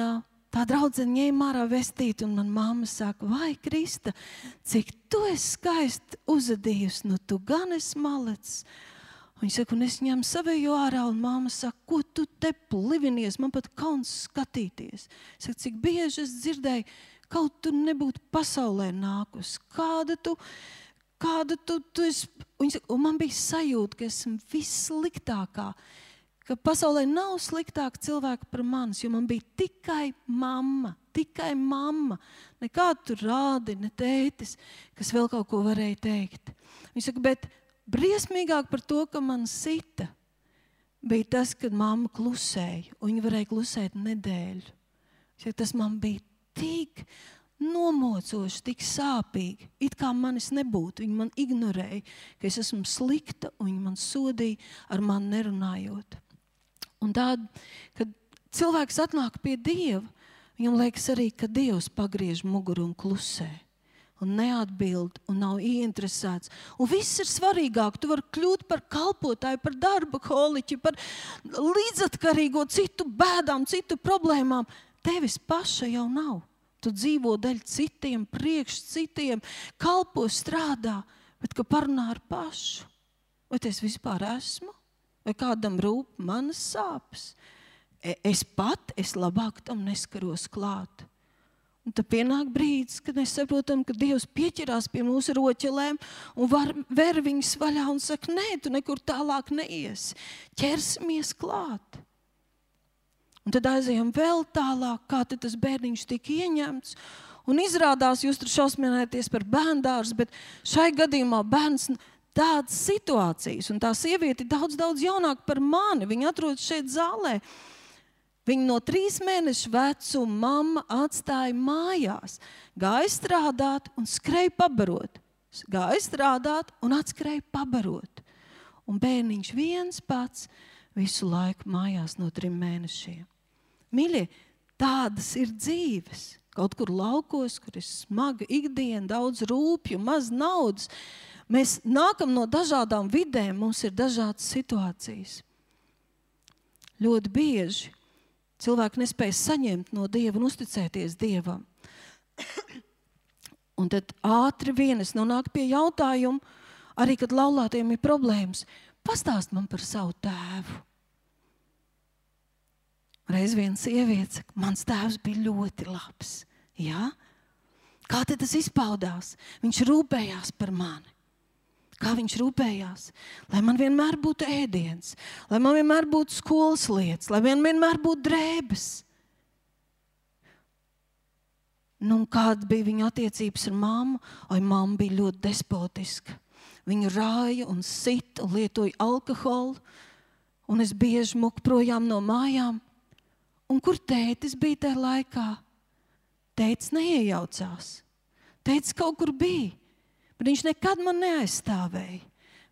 tā draudzene ņēma ārā vestīti, un man mamma saka, vai Krista, cik tu esi skaisti uzadījusi, nu tu gan esi malecs. Viņa saka, un es ņemu savējo ārā, un mamma saka, ko tu te plivinies, man pat kauns skatīties. Saka, cik bieži es dzirdēju, kaut tu nebūtu pasaulē nākus, kāda tu esi. Un man bija sajūta, ka esmu vissliktākā, ka pasaulē nav sliktāka cilvēka par manis, jo man bija tikai mamma. Nekādu tur rādi, ne tētis, kas vēl kaut ko varēja teikt. Viņa saka, bet briesmīgāk par to, ka man sita, bija tas, kad mamma klusēja, un viņa varēja klusēt nedēļu. Viņa saka, tas man bija tik nomocoši, tik sāpīgi, it kā manis nebūtu. Viņa man ignorēja, ka es esmu slikta, un viņa man sodīja ar mani nerunājot. Un tād, kad cilvēks atnāk pie Dieva, viņam liekas arī, ka Dievs pagriež muguru un klusē, un neatbild, un nav ieinteresēts. Un viss ir svarīgāk. Tu vari kļūt par kalpotāju, par darba holiķi, par līdzatkarīgo citu bēdām, citu problēmām. Tevis paša jau nav. Tu dzīvo daļ citiem, priekš citiem, kalpo, strādā, bet ka parunā ar pašu. Vai es vispār esmu? Vai kādam rūp manas sāpes? Es labāk tam neskaros klāt. Un tad pienāk brīdis, kad mēs saprotam, ka Dievs pieķerās pie mūsu roķelēm un ver viņus vaļā un saka, nē, tu nekur tālāk neiesi. Ķersimies klāt. Un tad aizējam vēl tālāk, kā tad tas bērniņš tika ieņemts. Un izrādās, jūs tur šausmināties par bērndārs, bet šai gadījumā bērns tādas situācijas, un tā sieviete ir daudz jaunāka par mani. Viņa atrodas šeit zālē. Viņa no 3 mēnešu vecuma mamma atstāja mājās. Gāja strādāt un skrēja pabarot. Gāja strādāt un atskrēja pabarot. Un bērniņš viens pats visu laiku mājās no 3 mēnešiem. Mīļie, tādas ir dzīves. Kaut kur laukos, kur ir smaga ikdiena, daudz rūpju, maz naudas. Mēs nākam no dažādām vidēm, mums ir dažādas situācijas. Ļoti bieži cilvēki nespēj saņemt no Dieva un uzticēties Dievam. Un tad ātri vien es nonāku pie jautājumu, arī kad laulātiem ir problēmas. Pastāst man par savu tēvu. Reiz viena sieviete saka, mans tēvs bija ļoti labs. Jā? Kā tad tas izpaudās? Viņš rūpējās par mani. Kā viņš rūpējās? Lai man vienmēr būtu ēdiens, lai man vienmēr būtu skolas lietas, lai man vienmēr būtu drēbes. Nu, kāda bija viņa attiecības ar mammu? Mamma bija ļoti despotiska. Viņu rāja un sita un lietoja alkoholu, un es bieži muku projām no mājām. Un kur tētis bija tajā laikā? Tētis neiejaucās. Tētis kaut kur bija. Bet viņš nekad man neaizstāvēja.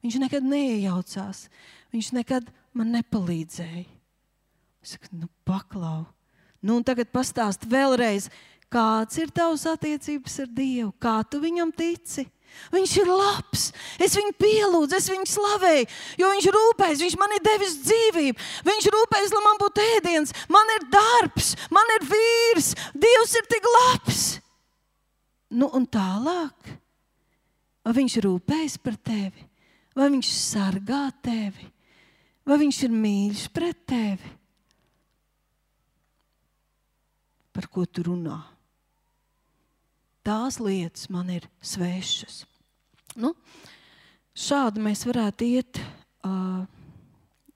Viņš nekad neiejaucās. Viņš nekad man nepalīdzēja. Es saku, paklau. Un tagad pastāst vēlreiz, kāds ir tavs attiecības ar Dievu? Kā tu viņam tici? Viņš ir labs. Es viņu pielūdzu, es viņu slavēju, jo viņš rūpējas, viņš man ir devis dzīvību. Viņš rūpējas, lai man būtu ēdiens, man ir darbs, man ir vīrs. Dievs ir tik labs. Un tālāk. Vai viņš rūpējas par tevi? Vai viņš sargā tevi? Vai viņš ir mīļš pret tevi? Par ko tu runā? Tās lietas man ir svešas. Šādi mēs varētu iet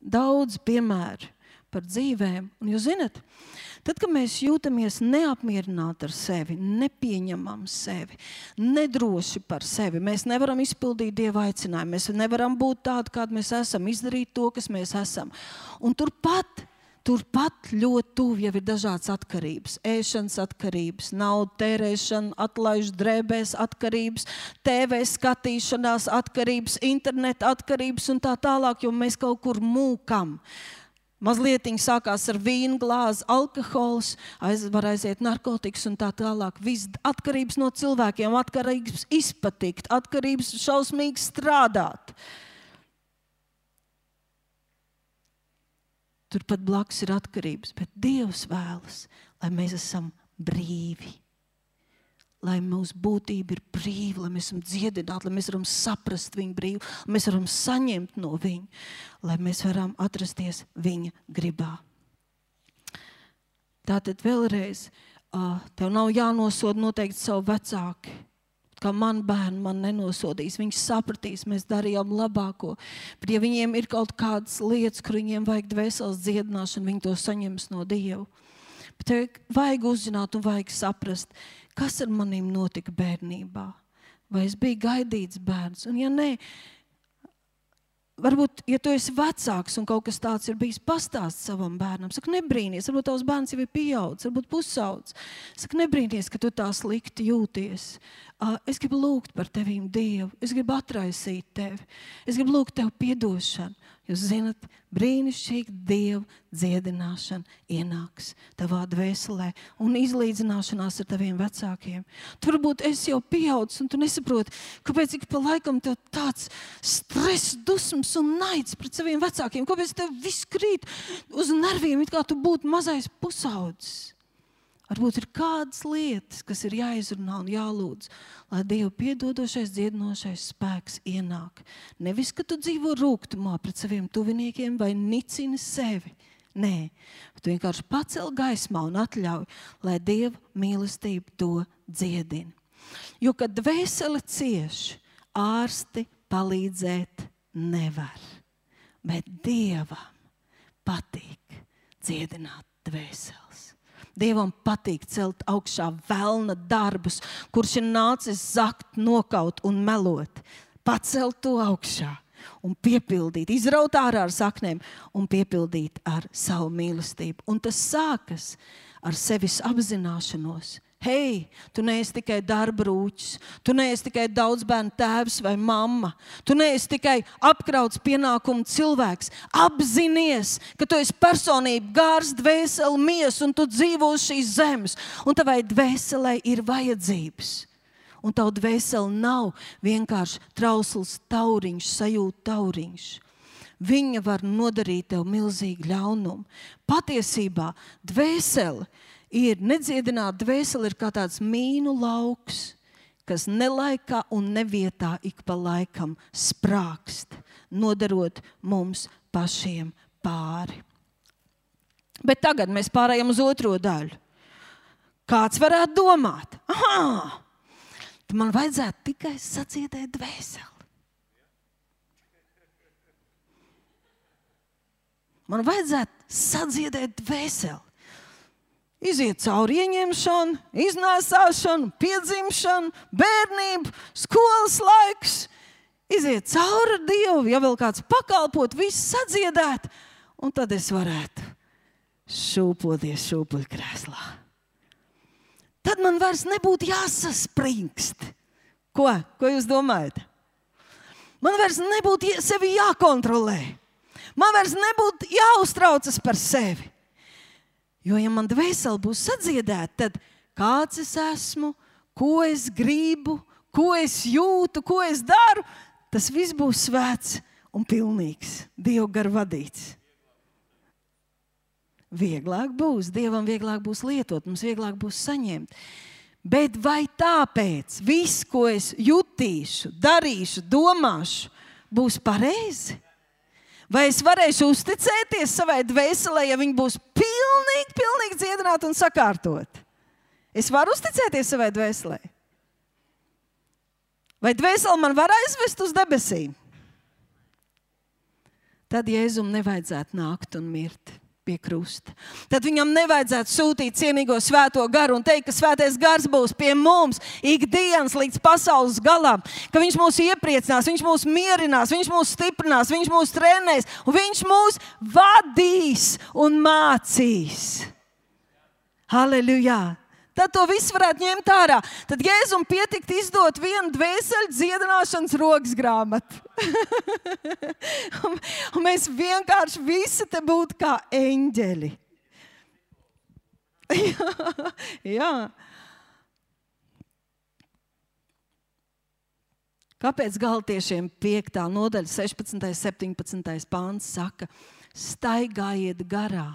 daudz piemēru par dzīvēm. Un jūs zināt, tad, kad mēs jūtamies neapmierināti ar sevi, nepieņemam sevi, nedroši par sevi, mēs nevaram izpildīt Dieva aicinājumu, mēs nevaram būt tādi, kādi mēs esam, izdarīt to, kas mēs esam. Un turpat turpat ļoti tuvi jau ir dažādas atkarības. Ēšanas atkarības, naudu tērēšana, atlaiž drēbēs atkarības, TV skatīšanās atkarības, interneta atkarības un tā tālāk, jo mēs kaut kur mūkam. Mazlietiņi sākās ar vīnu glāzi, alkohols, var aiziet narkotikas un tā tālāk. Viss atkarības no cilvēkiem, atkarības izpatikt, atkarības šausmīgi strādāt. Turpat blakus ir atkarības, bet Dievs vēlas, lai mēs esam brīvi. Lai mūsu būtība ir brīva, lai mēs esam dziedināti, lai mēs varam saprast viņu brīvu, lai mēs varam saņemt no viņu, lai mēs varam atrasties viņa gribā. Tātad vēlreiz, tev nav jānosoda noteikti savu vecāki. Kā man bērni man nenosodīs, viņi sapratīs, mēs darījām labāko. Bet ja viņiem ir kaut kādas lietas, kur viņiem vajag dvēseles dziedināšanu, viņi to saņems no Dieva. Bet tev vajag uzzināt un vajag saprast, kas ar manīm notika bērnībā. Vai es biju gaidīts bērns? Un ja nē, varbūt, ja tu esi vecāks un kaut kas tāds ir bijis, pastāst savam bērnam. Saka, nebrīnies, varbūt tavs bērns jau ir pieaudzis, varbūt pusaudzis. Saka, nebrīnies, ka tu tā slikti jūties. Es gribu lūgt par tevīm Dievu. Es gribu atraisīt tevi. Es gribu lūgt tev piedošanu. Jūs zinat, brīnišķīgi Dieva dziedināšana ienāks tavā dvēselē un izlīdzināšanās ar taviem vecākiem. Tu varbūt esi jau pieaudzis un tu nesaproti, kāpēc ik pa laikam tev tāds stress, dusmas un naids pret saviem vecākiem. Kāpēc tev viss krīt uz nerviem, it kā tu būtu mazais pusaudzis. Varbūt ir kādas lietas, kas ir jāizrunā un jālūdz, lai Dieva piedodošais, dziedinošais spēks ienāk. Nevis, ka tu dzīvo rūgtumā pret saviem tuviniekiem vai nicini sevi. Nē, tu vienkārši pacel gaismā un atļauj, lai Dieva mīlestība to dziedina. Jo, kad dvēsele cieš, ārsti palīdzēt nevar. Bet Dievam patīk dziedināt dvēseles. Dievam patīk celt augšā velna darbus, kurš ir nācis zakt, nokaut un melot. Pacelt to augšā un piepildīt, izraut ārā ar saknēm un piepildīt ar savu mīlestību. Un tas sākas ar sevis apzināšanos. Hei, tu neesi tikai darba rūķis, tu neesi tikai daudzbērnu tēvs vai mamma, tu neesi tikai apkrauts pienākumu cilvēks. Apzinies, ka tu esi personība, gars, dvēseli, miesa un tu dzīvo uz šīs zemes. Un tavai dvēselei ir vajadzības. Un tavu dvēseli nav vienkārši trausls tauriņš, sajūta tauriņš. Viņa var nodarīt tev milzīgu ļaunumu. Patiesībā dvēseli ir nedziedināta dvēsele, ir kā tāds mīnu lauks, kas nelaikā un nevietā ik pa laikam sprākst, nodarot mums pašiem pāri. Bet tagad mēs pārējām uz otro daļu. Kāds varētu domāt? Aha! Tad man vajadzētu tikai sadziedēt dvēseli. Man vajadzētu sadziedēt dvēseli. Iziet cauri ieņemšanu, iznēsāšanu, piedzimšanu, bērnību, skolas laiks. Iziet cauri ar Dievu, ja vēl kāds pakalpot, viss sadziedēt. Un tad es varētu šūpoties šūpuļkrēslā. Tad man vairs nebūtu jāsaspringst. Ko jūs domājat? Man vairs nebūtu sevi jākontrolē. Man vairs nebūtu jāuztraucas par sevi. Jo, ja man dvēsele būs sadziedēta, tad kāds es esmu, ko es gribu, ko es jūtu, ko es daru, tas viss būs svēts un pilnīgs, Dieva gar vadīts. Vieglāk būs, Dievam vieglāk būs lietot, mums vieglāk būs saņemt. Bet vai tāpēc viss, ko es jutīšu, darīšu, domāšu, būs pareizi? Vai es varēšu uzticēties savai dvēselē, ja viņa būs pilnīgi dziedināta un sakārtot? Es varu uzticēties savai dvēselē? Vai dvēsele man var aizvest uz debesīm? Tad Jēzum nevajadzētu nākt un mirt. pie krusta. Tad viņam nevajadzētu sūtīt cienīgo svēto garu un teikt, ka svētais gars būs pie mums ikdienas līdz pasaules galam, ka viņš mūs iepriecinās, viņš mūs mierinās, viņš mūs stiprinās, viņš mūs trenēs un viņš mūs vadīs un mācīs. Halleluja! Tad to visu varētu ņemt ārā. Tad Jēzum pietikt izdot vienu dvēseli dziedināšanas rokas grāmatu. un mēs vienkārši visi te būtu kā eņģeļi. Jā. Kāpēc Galatiešiem 5. nodaļa 16. 17. pāns saka, staigājiet garā,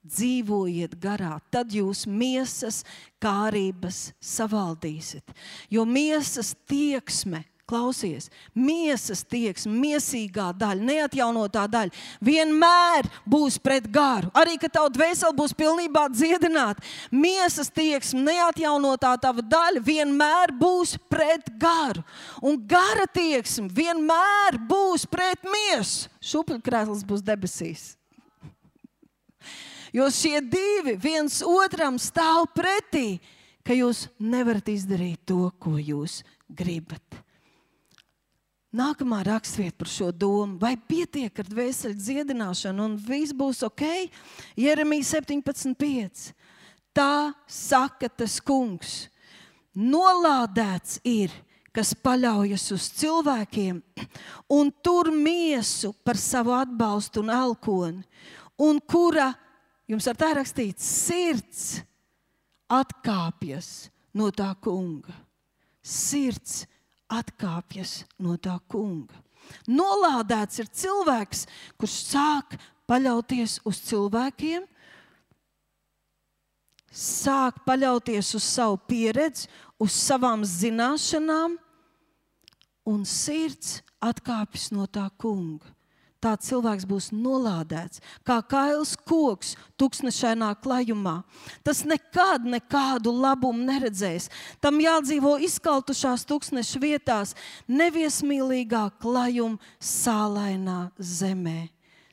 dzīvojiet garā, tad jūs miesas kārības savaldīsiet. Jo miesas tieksme, klausies, miesas tieksme, miesīgā daļa, neatjaunotā daļa, vienmēr būs pret garu. Arī, kad tavu dvēseli būs pilnībā dziedināta, miesas tieksme, neatjaunotā tava daļa vienmēr būs pret garu. Un gara tieksme vienmēr būs pret miesu. Šupļkrēsls būs debesīs. Jo šie divi viens otram stāv pretī, ka jūs nevarat izdarīt to, ko jūs gribat. Nākamā rakstvieta par šo domu. Vai pietiek ar dvēseli dziedināšanu un viss būs ok? Jeremija 17.5. Tā saka tas kungs. Nolādēts ir, kas paļaujas uz cilvēkiem un tur miesu par savu atbalstu un elkoni, un kura, jums ar tā rakstīts, sirds atkāpjas no tā kunga. Sirds atkāpjas no tā kunga. Nolādēts ir cilvēks, kurš sāk paļauties uz cilvēkiem, sāk paļauties uz savu pieredzi, uz savām zināšanām, un sirds atkāpjas no tā kunga. Tāds cilvēks būs nolādēts, kā kails koks tuksnešainā klajumā. Tas nekādu labumu neredzēs. Tam jādzīvo izkaltušās tuksneša vietās, neviesmīlīgā klajuma sālainā zemē.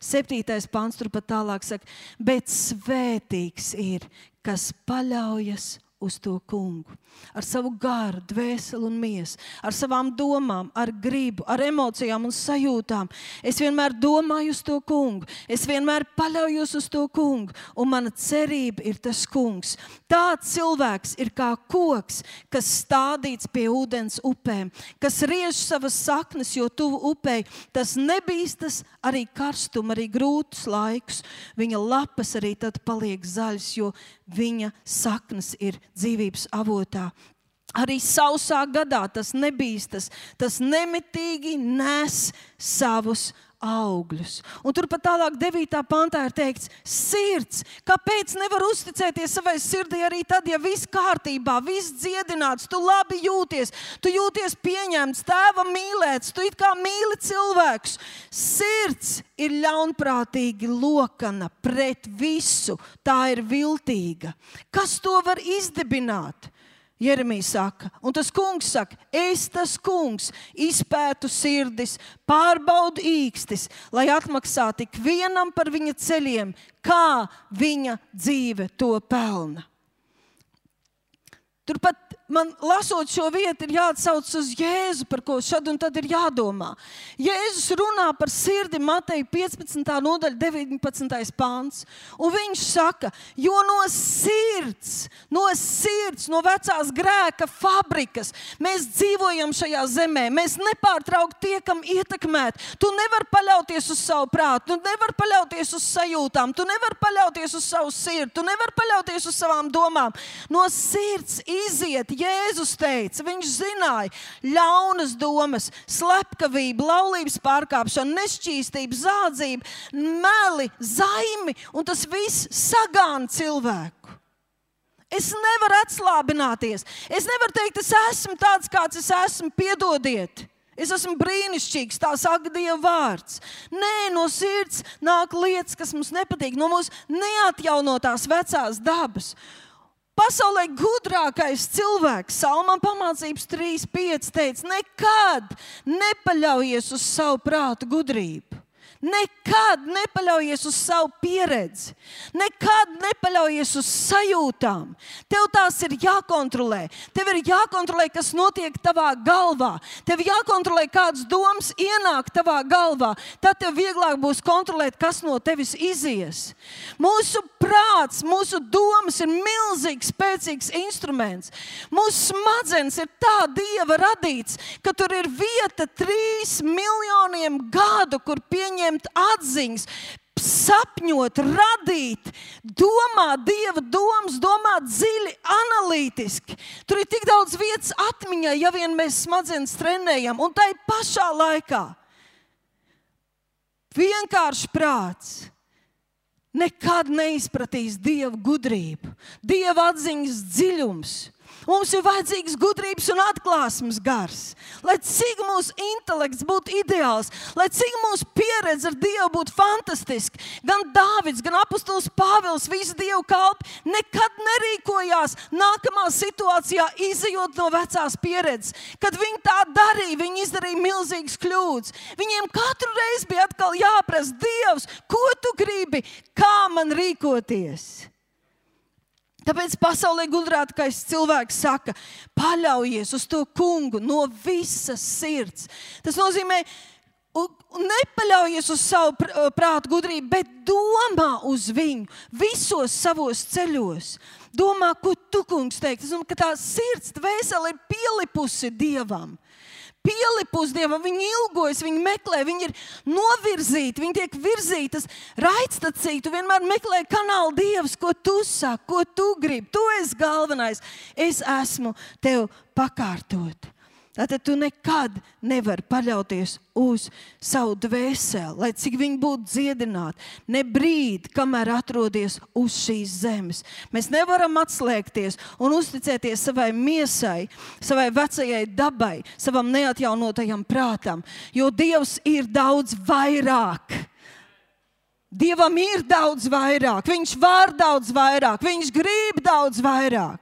7. pants turpat tālāk saka, bet svētīgs ir, kas paļaujas uz to kungu. Ar savu garu, dvēseli un miesu, ar savām domām, ar gribu, ar emocijām un sajūtām. Es vienmēr domāju uz to kungu. Es vienmēr paļaujos uz to kungu. Un mana cerība ir tas kungs. Tāds cilvēks ir kā koks, kas stādīts pie ūdens upēm, kas riež savas saknes, jo tuvu upei. Tas nebīstas arī karstumu, arī grūtus laikus. Viņa lapas arī tad paliek zaļas, jo viņa saknes ir dzīvības avotā. Arī sausā gadā tas nebīstas, tas nemitīgi nes savus augļus. Un turpat tālāk 9. pantā ir teikts, sirds, kāpēc nevar uzticēties savai sirdī arī tad, ja viss kārtībā, viss dziedināts, tu labi jūties, tu jūties pieņemts, tēva mīlēts, tu it kā mīli cilvēkus. Sirds ir ļaunprātīgi lokana pret visu, tā ir viltīga. Kas to var izdibināt? Jeremija saka, un tas kungs saka, es tas kungs izpētu sirdis, pārbaudu īkstis, lai atmaksātu ik vienam par viņa ceļiem, kā viņa dzīve to pelna. Turpat man lasot šo vietu ir jāatsauc uz Jēzu, par ko šad un tad ir jādomā. Jēzus runā par sirdi Mateja 15. nodaļa 19. pāns. Un viņš saka, jo no sirds, no vecās grēka fabrikas mēs dzīvojam šajā zemē. Mēs nepārtraukti tiekam ietekmēti. Tu nevari paļauties uz savu prātu, tu nevari paļauties uz sajūtām, tu nevari paļauties uz savu sirdi, tu nevari paļauties uz savām domām. No sirds iziet, Jēzus teica, viņš zināja ļaunas domas, slepkavība, laulības pārkāpšana, nešķīstība, zādzība, meli, zaimi, un tas viss sagāna cilvēku. Es nevaru atslābināties. Es nevaru teikt, es esmu tāds, kāds es esmu, piedodiet. Es esmu brīnišķīgs, tā saka Dieva vārds. Nē, no sirds nāk lietas, kas mums nepatīk, no mūsu neatjaunotās vecās dabas. Pasaulē gudrākais cilvēks, Salmam pamācības 3.5 teica, nekad nepaļaujies uz savu prātu gudrību. Nekad nepaļaujies uz savu pieredzi. Nekad nepaļaujies uz sajūtām. Tev tās ir jākontrolē. Tev ir jākontrolē, kas notiek tavā galvā. Tev jākontrolē, kādas domas ienāk tavā galvā. Tad tev vieglāk būs kontrolēt, kas no tevis izies. Mūsu prāts, mūsu domas ir milzīgs, spēcīgs instruments. Mūsu smadzenes ir tā Dieva radīts, ka tur ir vieta 3 miljoniem gadu, kur pieņemt atziņas, sapņot, radīt, domāt Dieva domas, domāt dziļi, analītiski. Tur ir tik daudz vietas atmiņai, ja vien mēs smadzenes trenējam. Un tai pašā laikā vienkārši prāts nekad neizpratīs Dieva gudrību, Dieva atziņas dziļums. Mums ir vajadzīgs gudrības un atklāsmes gars. Lai cik mūsu intelekts būtu ideāls, lai cik mūsu pieredze ar Dievu būtu fantastiska. Gan Dāvids, gan apostols Pāvils, visi Dievu kalpi nekad nerīkojās nākamā situācijā, izejot no vecās pieredzes. Kad viņi tā darīja, viņi izdarīja milzīgas kļūdas. Viņiem katru reizi bija atkal jāprasa: Dievs, ko tu gribi, kā man rīkoties? Tāpēc pasaulē gudrākais cilvēks saka: paļaujies uz to kungu no visas sirds. Tas nozīmē, nepaļaujies uz savu prātu gudrību, bet domā uz viņu visos savos ceļos. Domā, ko tu, kungs, teikt. Es domāju, ka tā sirds, dvēsele ir pielipusi Dievam. Pielipus Dievam, viņi ilgojas, viņi meklē, viņi ir novirzīti, viņi tiek virzītas raidstacī. Tu vienmēr meklē kanālu Dievs, ko tu saki, ko tu gribi. Tu esi galvenais, es esmu tev pakārtot. Tātad tu nekad nevari paļauties uz savu dvēseli, lai cik viņi būtu dziedināti. Ne brīdi, kamēr atrodies uz šīs zemes. Mēs nevaram atslēgties un uzticēties savai miesai, savai vecajai dabai, savam neatjaunotajam prātam, jo Dievs ir daudz vairāk. Dievam ir daudz vairāk, Viņš var daudz vairāk, Viņš grib daudz vairāk.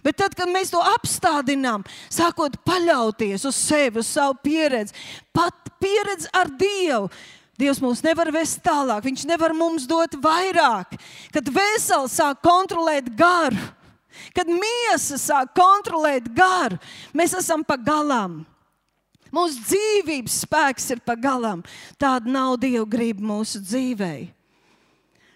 Bet tad, kad mēs to apstādinām, sākot paļauties uz sevi, uz savu pieredzi, pat pieredzi ar Dievu, Dievs mūs nevar vest tālāk, Viņš nevar mums dot vairāk. Kad veseli sāk kontrolēt garu, kad miesa sāk kontrolēt garu, mēs esam pa galam. Mūsu dzīvības spēks ir pa galam. Tāda nav Dieva griba mūsu dzīvei.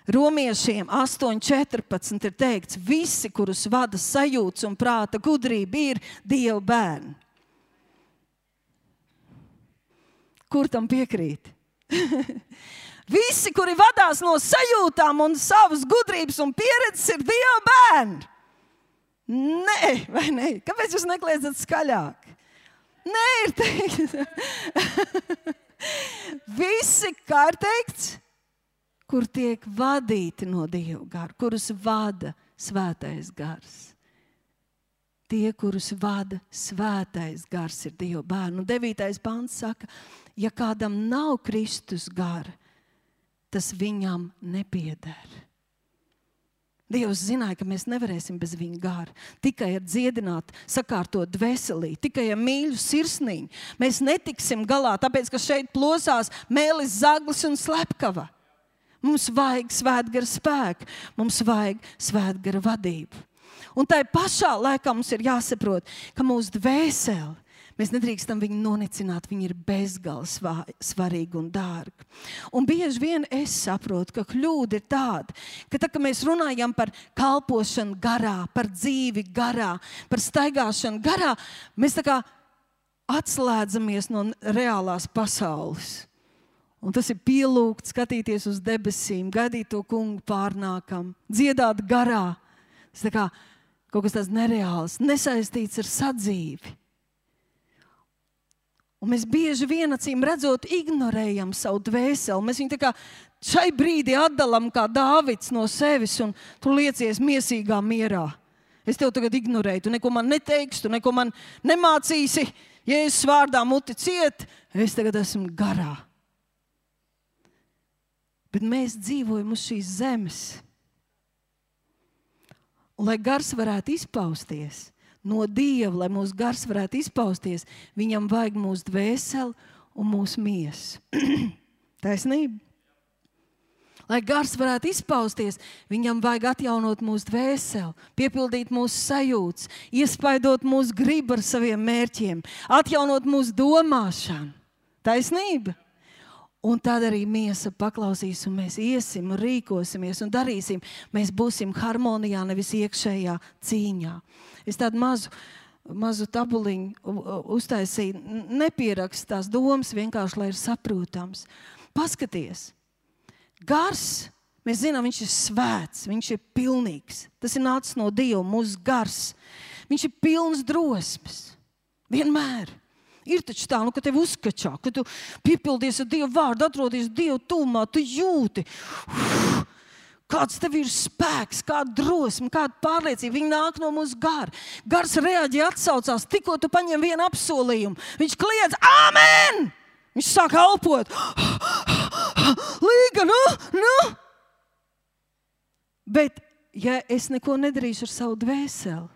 Romiešiem 8.14 ir teikts: visi, kurus vada sajūtas un prāta gudrība, ir Dieva bērni. Kur tam piekrīt? Visi, kuri vadās no sajūtām un savas gudrības un pieredzes, ir Dieva bērni. Nē, vai ne? Kāpēc jūs nekliedzat skaļāk? Nē, ir teikt. Visi, kā ir teikts, kur tiek vadīti no Dieva gara, kurus vada svētais gars. Tie, kurus vada svētais gars, ir Dieva bērni. Un 9. pants saka, ja kādam nav Kristus gara, tas viņam nepieder. Dievs zināja, ka mēs nevarēsim bez viņa gara. Tikai ar dziedināt, sakārtot dvēselī, tikai ar mīļu sirsniņu. Mēs netiksim galā, tāpēc, ka šeit plosās mēlis, zaglis un slepkava. Mums vajag svētgara spēku, mums vajag svētgara vadību. Un tai pašā laikā mums ir jāsaprot, ka mūsu dvēseli, mēs nedrīkstam viņu nonicināt, viņi ir bezgalīgi svarīgi un dārgi. Un bieži vien es saprotu, ka kļūda ir tāda, ka tad, kad mēs runājam par kalpošanu garā, par dzīvi garā, par staigāšanu garā, mēs tā kā atslēdzamies no reālās pasaules. Un tas ir pielūgt, skatīties uz debesīm, gaidīt to kungu pārnākam, dziedāt garā. Tas tā kā kaut kas tāds nereāls, nesaistīts ar sadzīvi. Un mēs bieži vien, acīm redzot, ignorējam savu dvēseli. Mēs viņu tā kā šai brīdī atdalam kā Dāvids no sevis un tu liecies miesīgā mierā. Es tev tagad ignorēju, tu neko man neteiksi, tu neko man nemācīsi. Jēzus vārdā muti ciet, es tagad esmu garā. Bet mēs dzīvojam uz šīs zemes. Un, lai gars varētu izpausties no Dieva, lai mūsu gars varētu izpausties, viņam vajag mūsu dvēseli un mūsu miesu. Taisnība. Lai gars varētu izpausties, viņam vajag atjaunot mūsu dvēseli, piepildīt mūsu sajūtas, iespaidot mūsu gribu ar saviem mērķiem, atjaunot mūsu domāšanu. Taisnība. Un tad arī miesa paklausīs, un mēs iesim, rīkosimies un darīsim. Mēs būsim harmonijā, nevis iekšējā cīņā. Es tādu mazu tabuliņu uztaisīju, nepierakstu tās domas, vienkārši, lai ir saprotams. Paskaties. Gars, mēs zinām, viņš ir svēts, viņš ir pilnīgs. Tas ir nācis no Dieva, mūsu gars. Viņš ir pilns drosmes. Vienmēr. Ir taču tā, ka tev uzskačā, ka tu piepildies ar Dievu vārdu, atrodies Dievu tūmā, tu jūti, kāds tev ir spēks, kāda drosme, kāda pārliecība. Viņi nāk no mūsu gara. Gars reaģē, atsaucās, tikko tu paņem vienu apsolījumu. Viņš kliedz, āmen! Viņš sāk elpot. Līga, nu! Bet, ja es neko nedarīšu ar savu dvēseli,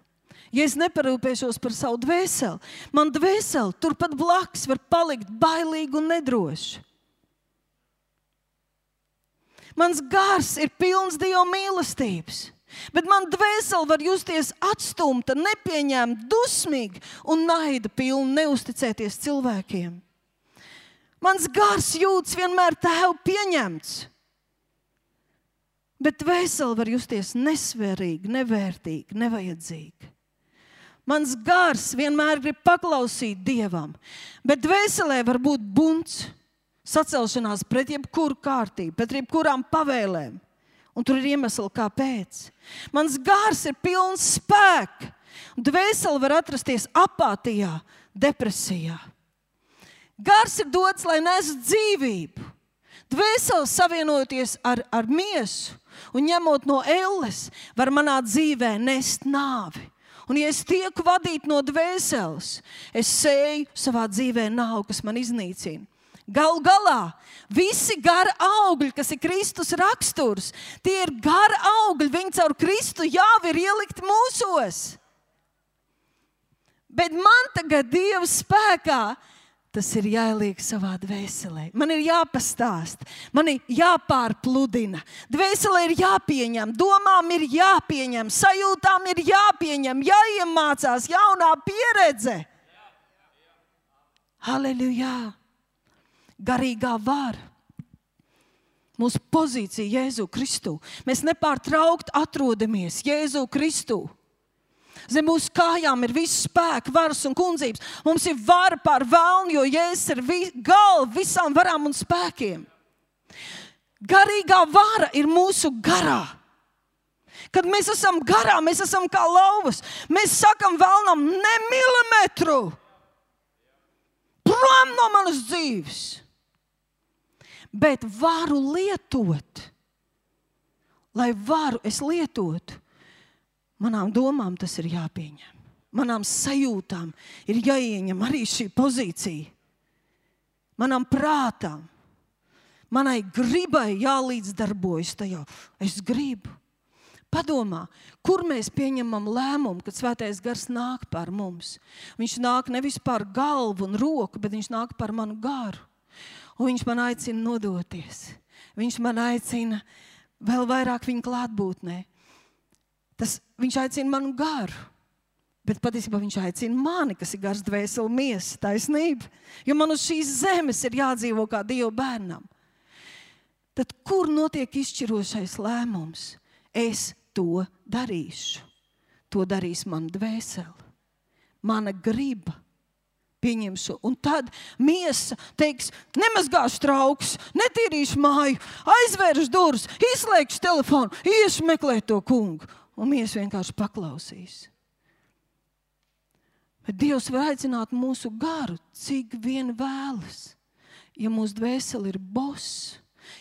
ja es neparūpēšos par savu dvēseli, man dvēseli turpat blakus var palikt bailīgi un nedroši. Mans gars ir pilns Dieva mīlestības, bet man dvēseli var justies atstumta, nepieņemta, dusmīga un naida pilna, neusticēties cilvēkiem. Mans gars jūtas vienmēr Tēvu pieņemts, bet dvēseli var justies nesvarīgi, nevērtīgi, nevajadzīgi. Mans gars vienmēr grib paklausīt Dievam, bet dvēselē var būt bunts, sacelšanās pret jebkuru kārtību, pret jebkurām pavēlēm. Un tur ir iemesli, kāpēc. Mans gars ir pilns spēka, un dvēseli var atrasties apātijā, depresijā. Gars ir dots, lai nesu dzīvību. Dvēseli savienoties ar miesu un ņemot no elles, var manā dzīvē nest nāvi. Un ja es tieku vadīt no dvēseles, es sēju savā dzīvē nāvu, kas man iznīcina. Galu galā, visi gara augļi, kas ir Kristus raksturs, tie ir gara augļi, viņi caur Kristu jau ir ielikti mūsos. Bet man tagad Dieva spēkā tas ir jāieliek savā dvēselē. Man ir jāpastāst, man ir jāpārpludina. Dvēselē ir jāpieņem, domām ir jāpieņem, sajūtām ir jāpieņem, jāiemācās jaunā pieredze. Halleluja! Garīgā vara. Mūsu pozīcija Jēzu Kristu. Mēs nepārtraukt atrodamies Jēzu Kristu. Zem mūsu kājām ir viss spēks, varas un kundzības. Mums ir vara pār vēlnu, jo Jēzus ir galva visām varām un spēkiem. Garīgā vara ir mūsu garā. Kad mēs esam garā, mēs esam kā lauvas. Mēs sakam vēlnam, ne milimetru prom no manas dzīves. Bet varu lietot, lai varu es lietotu, manām domām tas ir jāpieņem. Manām sajūtām ir jāieņem arī šī pozīcija. Manām prātām, manai gribai jālīdzdarbojas tajā. Es gribu. Padomā, kur mēs pieņemam lēmumu, kad Svētais Gars nāk par mums. Viņš nāk nevis par galvu un roku, bet viņš nāk par manu garu. Un viņš man aicina nodoties. Viņš man aicina vēl vairāk viņa klātbūtnē. Viņš aicina manu garu, bet patiesībā viņš aicina mani, kas ir gars, dvēseli, miesa, taisnība. Jo man uz šīs zemes ir jādzīvo kā Dieva bērnam. Tad kur notiek izšķirošais lēmums? Es to darīšu. To darīs mana dvēsele. Mana griba. Pieņemšu. Un tad miesa teiks, nemazgāšu traukus, netīrīšu māju, aizvēršu durvis, izslēgšu telefonu, iešu meklēt to kungu. Un miesa vienkārši paklausīs. Bet Dievs var aicināt mūsu garu, cik vien vēlas. Ja mūsu dvēseli ir boss,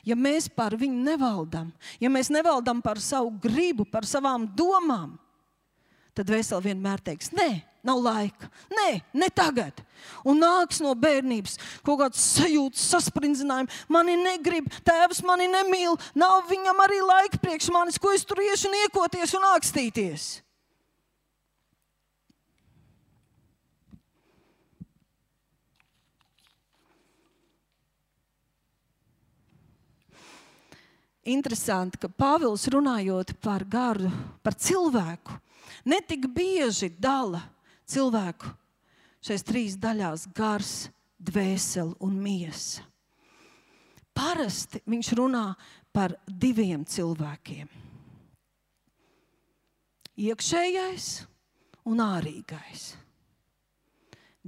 ja mēs par viņu nevaldam, ja mēs nevaldam par savu gribu, par savām domām, tad dvēseli vienmēr teiks, nē, nav laika, nē, ne tagad. Un nāks no bērnības kaut kāds sajūtas, sasprindzinājumi. Mani negrib, tēvs mani nemīl, nav viņam arī laika priekš manis, ko es tur iešu niekoties un ākstīties. interesanti, ka Pāvils runājot par garu, par cilvēku, netik bieži dala cilvēku šais 3 daļās – gars, dvēseli un miesa. Parasti viņš runā par 2 cilvēkiem. Iekšējais un ārīgais.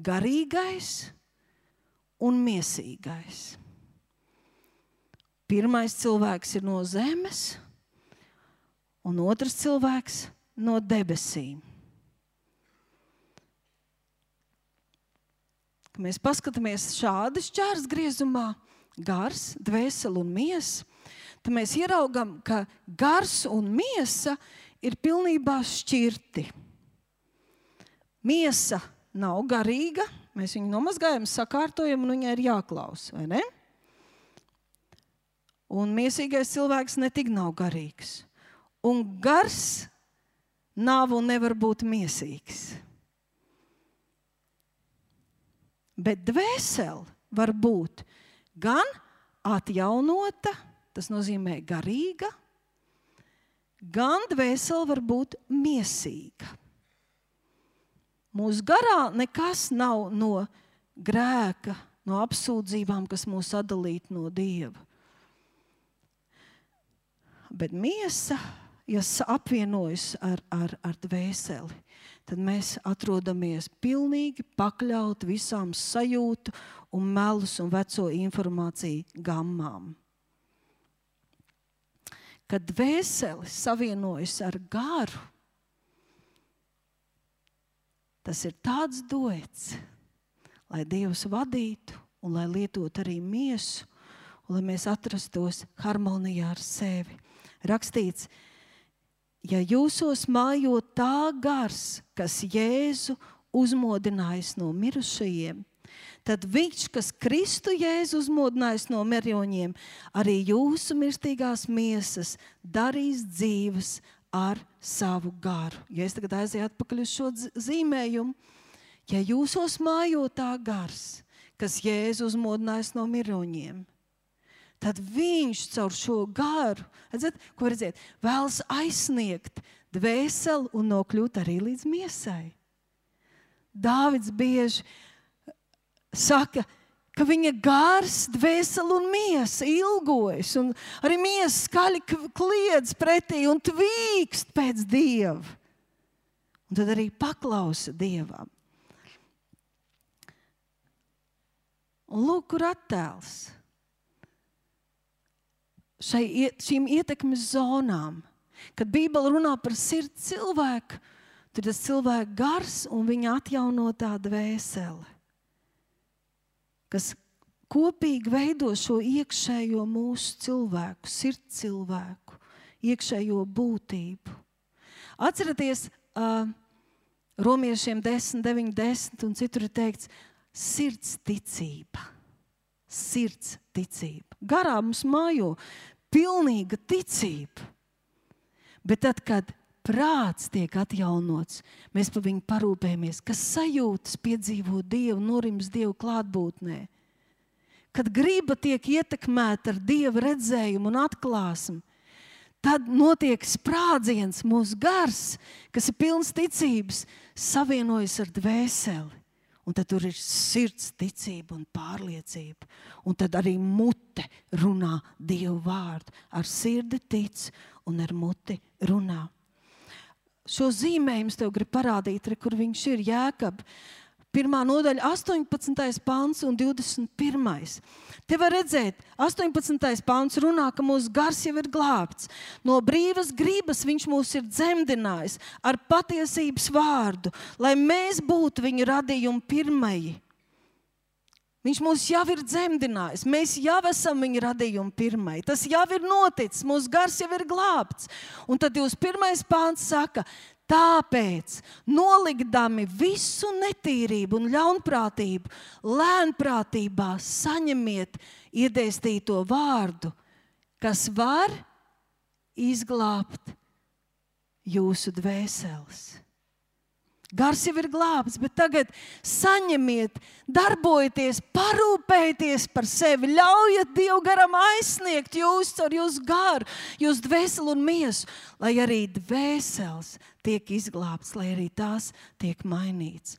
Garīgais un miesīgais. Pirmais cilvēks ir no zemes, un otrs cilvēks no debesīm. Kad mēs paskatāmies šādi šķērsgriezumā, gars, dvēseli un miesa, tad mēs ieraugam, ka gars un miesa ir pilnībā šķirti. Miesa nav garīga, mēs viņu nomazgājam, sakārtojam un viņai ir jāklaus, vai ne? Un miesīgais cilvēks netik nav garīgs. Un gars nav un nevar būt miesīgs. Bet dvēsele var būt gan atjaunota, tas nozīmē garīga, gan dvēsele var būt miesīga. Mūsu garā nekas nav no grēka, no apsūdzībām, kas mūs atdalītu no Dieva. Bet miesa, ja apvienojas ar dvēseli, tad mēs atrodamies pilnīgi pakļauti visām sajūtu un melus un veco informāciju gammām. Kad dvēseli savienojas ar garu, tas ir tāds duets, lai Dievs vadītu un lai lietot arī miesu, un lai mēs atrastos harmonijā ar sevi. Rakstīts, ja jūsos mājo tā gars, kas Jēzu uzmodinājis no mirušajiem, tad viņš, kas Kristu Jēzu uzmodinājis no mirušajiem, arī jūsu mirstīgās miesas darīs dzīves ar savu garu. Ja es tagad aizēju atpakaļ uz šo zīmējumu, ja jūsos mājo tā gars, kas Jēzu uzmodinājis no mirušajiem, tad viņš caur šo garu, redzēt, vēlas aizsniegt dvēseli un nokļūt arī līdz miesai. Dāvids bieži saka, ka viņa gars, dvēseli un miesa ilgojas, un arī miesa skaļi kliedz pretī un tvīkst pēc Dieva. Un tad arī paklausa Dievam. Un lūk, kur attēls. Šīm ietekmes zonām, kad Bībele runā par sirds cilvēku, tad tas cilvēks gars un viņa atjaunotā dvēsele, kas kopīgi veido šo iekšējo mūsu cilvēku, sirds cilvēku, iekšējo būtību. Atcerieties, Romiešiem 10, 9, 10 un citur ir teikts sirds ticība. Sirds ticība. Garā mums mājo pilnīga ticība. Bet tad, kad prāts tiek atjaunots, mēs par viņu parūpējamies, kas sajūtas piedzīvo Dievu, norims Dievu klātbūtnē. Kad griba tiek ietekmēta ar Dieva redzējumu un atklāsmi, tad notiek sprādziens, mūsu gars, kas ir pilns ticības, savienojas ar dvēseli. Un tad tur ir sirds ticība un pārliecība. Un tad arī mute runā Dievu vārdu. Ar sirdi tic un ar muti runā. Šo zīmējumu tev grib parādīt, kur viņš ir Jēkab. 1. nodaļa, 18. pants un 21. Te var redzēt, 18. pants runā, ka mūsu gars jau ir glābts. No brīvas gribas viņš mūs ir dzemdinājis ar patiesības vārdu, lai mēs būtu viņa radījuma pirmie. Viņš mūs jau ir dzemdinājis, mēs jau esam viņa radījuma pirmie. Tas jau ir noticis, mūsu gars jau ir glābts. Un tad 21. pants saka, tāpēc, nolikdami visu netīrību un ļaunprātību, lēnprātībā saņemiet iedēstīto vārdu, kas var izglābt jūsu dvēseles. Gars jau ir glābts, bet tagad saņemiet, darbojieties, parūpējieties par sevi, ļaujiet Dievu garam aizsniegt jūs ar jūsu garu, jūsu dvēseli un miesu, lai arī dvēseles tiek izglābts, lai arī tās tiek mainīts.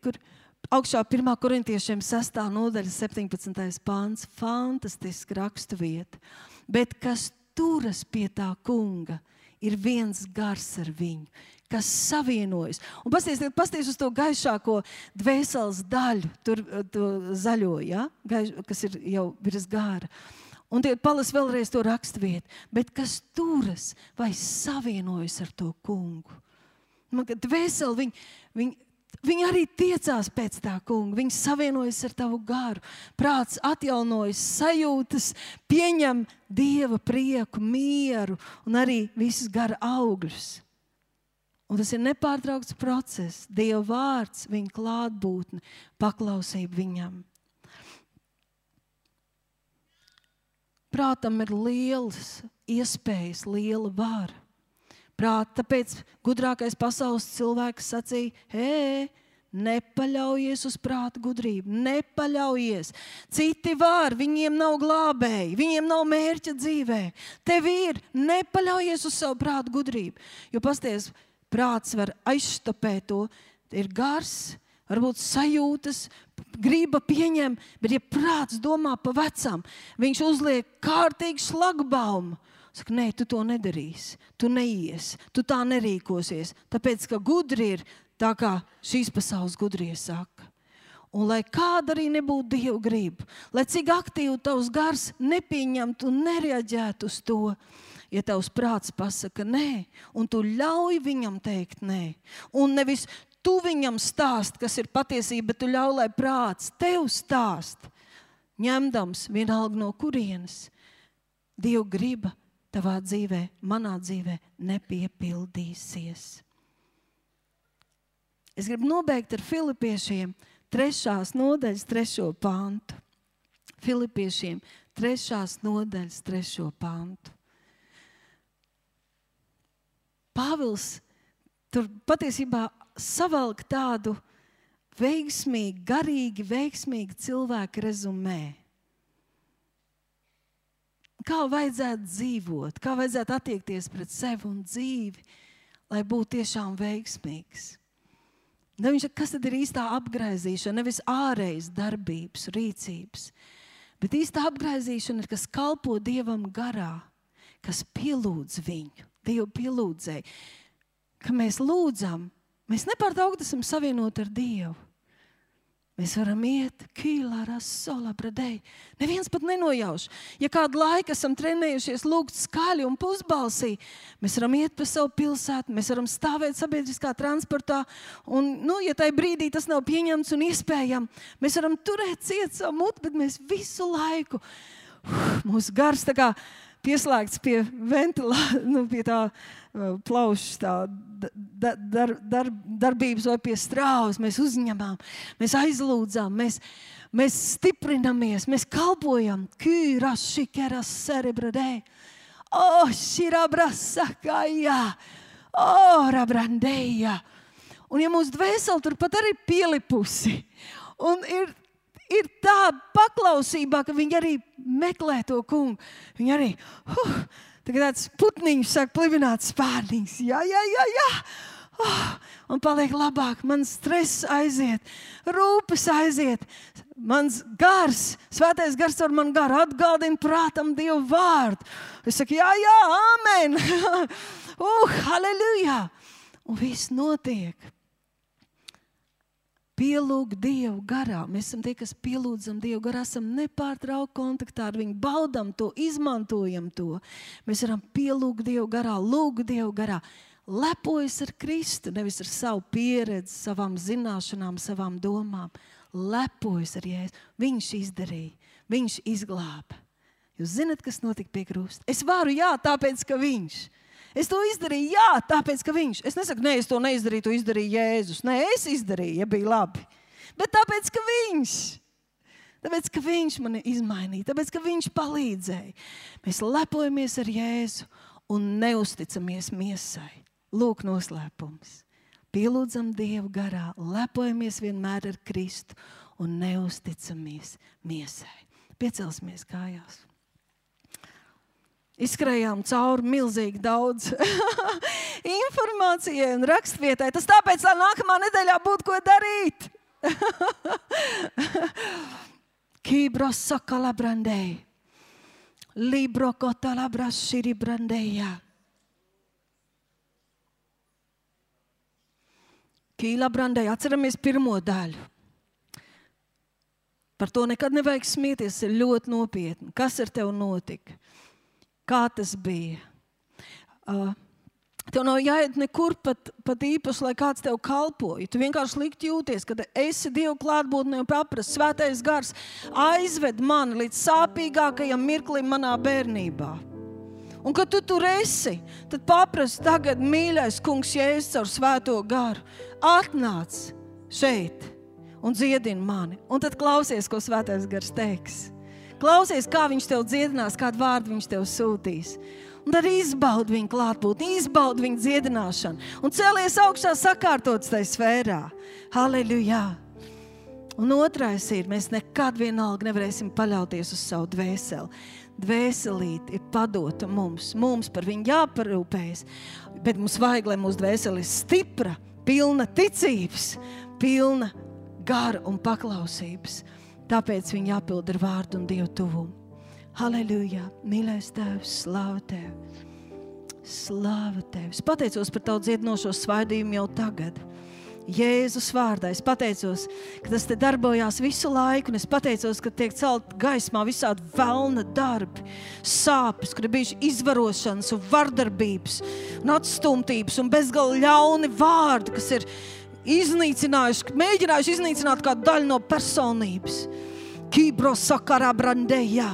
Kur augšā 1. korintiešiem 6. nodaļa 17. pāns, fantastiski rakstu vieta, bet kas turas pie tā kunga, ir viens gars ar viņu, kas savienojas. Un pasties uz to gaišāko dvēseles daļu, tur zaļo, ja? Kas ir jau virs gāra. Un tie palas vēlreiz to rakstvietu. Bet kas turas vai savienojas ar to kungu. Man, ka dvēseli, viņi arī tiecās pēc tā kunga. Viņi savienojas ar tavu garu. Prāts atjaunojas, sajūtas, pieņem Dieva prieku, mieru un arī visus gara augļus. Un tas ir nepārtraukts process. Dieva vārds, viņa klātbūtne, paklausība viņam. Prātam ir lielas iespējas, liela vara. Tāpēc gudrākais pasaules cilvēks sacīja, nepaļaujies uz prāta gudrību, nepaļaujies. Citi var, viņiem nav glābēji, viņiem nav mērķa dzīvē. Tev ir, nepaļaujies uz savu prāta gudrību. Jo pasties, prāts var aizštapēt to, ir gars, varbūt sajūtas, griba pieņem, bet ja prāts domā pa vecam, viņš uzliek kārtīgi šlagbaumu. Saka, nē, tu to nedarīsi, tu neies, tu tā nerīkosies, tāpēc, ka gudri ir tā, kā šīs pasaules gudrie saka. Un lai kāda arī nebūtu Dieva griba, lai cik aktīvi tavs gars nepieņemtu un nereaģētu uz to, ja tavs prāts pasaka nē, un tu ļauj viņam teikt nē, un nevis tu viņam stāst, kas ir patiesība, bet tu ļauj, lai prāts tev stāst, ņemdams vienalga no kurienes. Dieva griba tavā dzīvē, manā dzīvē nepiepildīsies. Es gribu nobeigt ar Filipiešiem 3. nodaļas 3. pantu. Filipiešiem 3. nodaļas 3. pantu. Pāvils tur patiesībā savalk tādu veiksmīgu, garīgi veiksmīgu cilvēku rezumē. Kā vajadzētu dzīvot, kā vajadzētu attiekties pret sevi un dzīvi, lai būtu tiešām veiksmīgs. Kas tad ir īstā apgraizīšana? Nevis ārējas darbības, rīcības, bet īstā apgraizīšana ir, kas kalpo Dievam garā, kas pielūdz viņu, Dievu pielūdzēji. Ka mēs lūdzam, mēs nepārtraukti esam savienoti ar Dievu. Mēs varam iet kīlārās solā bradēji. Neviens pat nenojauš. Ja kādu laiku esam trenējušies lūgt skaļi un pusbalsī, mēs varam iet pa savu pilsētu, mēs varam stāvēt sabiedriskā transportā un, ja tai brīdī tas nav pieņemts un iespējams, mēs varam turēt ciet savu mutu, bet mēs visu laiku, mūsu gars tā kā pieslēgts pie pie tā plaušas tā darbības vai pie strāvas. Mēs uzņemam, mēs aizlūdzam, mēs stiprinamies, mēs kalpojam. Kīras šikeras cerebradē. Širabrasakājā. Rabrandējā. Un ja mūsu dvēseli turpat arī pielipusi un ir tā paklausībā, ka viņi arī meklē to kungu. Viņi arī, tagad tāds putniņš sāk plivināt spārniņas. Jā. Un paliek labāk. Mans stress aiziet, rūpes aiziet. Mans gars, svētais gars ar man garu atgādina prātam Dievu vārdu. Es saku, jā, amen. Halleluja. Un viss notiek. Pielūg Dievu garā. Mēs esam tie, kas pielūdzam Dievu garā, esam nepārtraukti kontaktā ar viņu, baudam to, izmantojam to. Mēs varam pielūgt Dievu garā, lūgt Dievu garā. Lepojas ar Kristu, nevis ar savu pieredzi, savām zināšanām, savām domām. Lepojas ar Jēzu. Viņš izdarīja, viņš izglāba. Jūs zināt, kas notika pie krusta? Es varu, jā, tāpēc, ka viņš. Es to izdarīju, jā, tāpēc, ka viņš. Es nesaku, nē, es to neizdarīju, to izdarīja Jēzus. Nē, es izdarīju, ja bija labi. Bet tāpēc, ka viņš. Tāpēc, ka viņš mani izmainīja. Tāpēc, ka viņš palīdzēja. Mēs lepojamies ar Jēzu un neusticamies miesai. Lūk noslēpums. pielūdzam Dievu garā, lepojamies vienmēr ar Kristu un neusticamies miesai. Piecelsimies kājās. Izskrējām cauri milzīgi daudz informācijai un rakstvietai. Tas tāpēc, lai nākamā nedēļā būtu ko darīt. Kibros sakala brandei. Libro kotala brashiri brandeja. Kīla brandeja. Atceramies pirmo daļu. Par to nekad nevajag smieties, ir ļoti nopietni. Kas ar tev notika? Kā tas bija? Tev nav jāiet nekur pat īpaši, lai kāds tev kalpoja. Tu vienkārši likt jūties, kad esi Dievu klātbūtnē un paprast. Svētais gars aizved mani līdz sāpīgākajam mirklim manā bērnībā. Un kad tu tur esi, tad paprast tagad, mīļais kungs Jēzus caur svēto garu. Atnāc šeit un dziedini mani. Un tad klausies, ko svētais gars teiks. Klausies, kā viņš tev dziedinās, kādu vārdu viņš tev sūtīs. Un tad izbaudi viņu klātbūtni, izbaudi viņu dziedināšanu. Un cēlies augšā sakārtots tai sfērā. Halleluja! Un otrais ir, mēs nekad vienalga nevarēsim paļauties uz savu dvēseli. Dvēselīte ir padota mums par viņu jāparūpējas. Bet mums vajag, lai mūsu dvēseli ir stipra, pilna ticības, pilna gara un paklausības. Tāpēc viņi jāpild ar vārdu un Dievu tuvumu. Halleluja! Mīļais Tēvs, slāva Tev! Slāva Tev! Es pateicos par Tavu dziedinošo svaidījumu jau tagad. Jēzus vārdā. Es pateicos, ka tas te darbojās visu laiku, un es pateicos, ka tiek celt gaismā visādi velna darbi, sāpes, kur ir bijuši izvarošanas un vardarbības un atstumtības un bezgalīgi ļauni vārdi, kas ir mēģinājuši iznīcināt kādu daļu no personības. Kibro sakarā brandējā.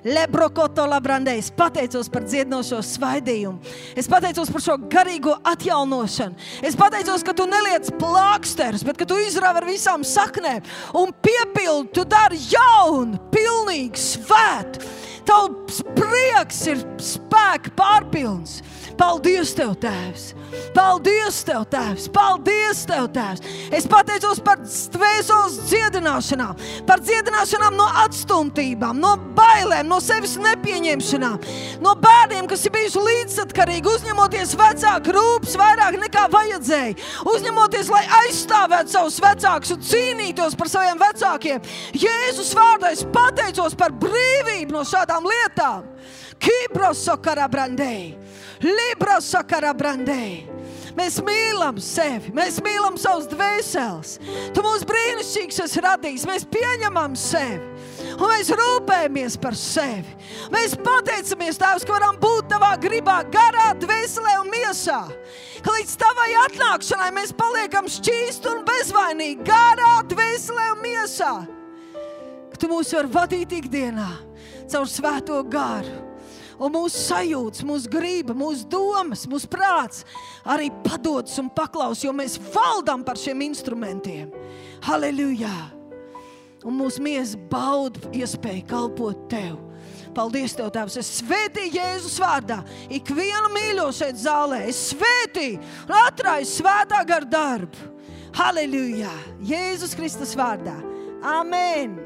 Lebrokoto labrandē. Es pateicos par dziedinošo svaidījumu. Es pateicos par šo garīgo atjaunošanu. Es pateicos, ka tu neliec plāksterus, bet ka tu izrāvi ar visām saknēm un piepildi, tu dari jaunu, pilnīgi svētu. Tavs prieks ir spēka pārpilns. Paldies Tev, Tēvs! Paldies Tev, Tēvs! Paldies Tev, Tēvs! Es pateicos par dvēseles dziedināšanām, par dziedināšanām no atstumtībām, no bailēm, no sevis nepieņemšanām, no bērniem, kas ir bijuši līdzatkarīgi, uzņemoties vecāku rūpes vairāk nekā vajadzēja, uzņemoties, lai aizstāvētu savus vecākus un cīnītos par saviem vecākiem. Jēzus vārdā es pateicos par brīvību no šādām lietām. Kibros sakarā brandēji. Libra sakarā brandēji. Mēs mīlam sevi, mēs mīlam savus dvēseles. Tu mūs brīnišķīgs esi radījis, mēs pieņemam sevi. Un mēs rūpējamies par sevi. Mēs pateicamies, Tēvs, ka varam būt Tavā gribā, garā, dvēselē un miesā. Ka līdz Tavai atnākšanai mēs paliekam šķīsti un bezvainīgi, garā, dvēselē un miesā. Ka Tu mūs var vadīt ikdienā caur svēto garu. Un mūsu sajūtas, mūsu grība, mūsu domas, mūsu prāts arī padodas un paklaus, jo mēs valdam par šiem instrumentiem. Halleluja! Un mūsu miesa bauda iespēju kalpot Tev. Paldies Tev, Tēvs! Es svētīju Jēzus vārdā ikvienu mīļo šeit zālē. Es svētīju un atraisu svētā gara darbu. Halleluja! Jēzus Kristus vārdā. Amen!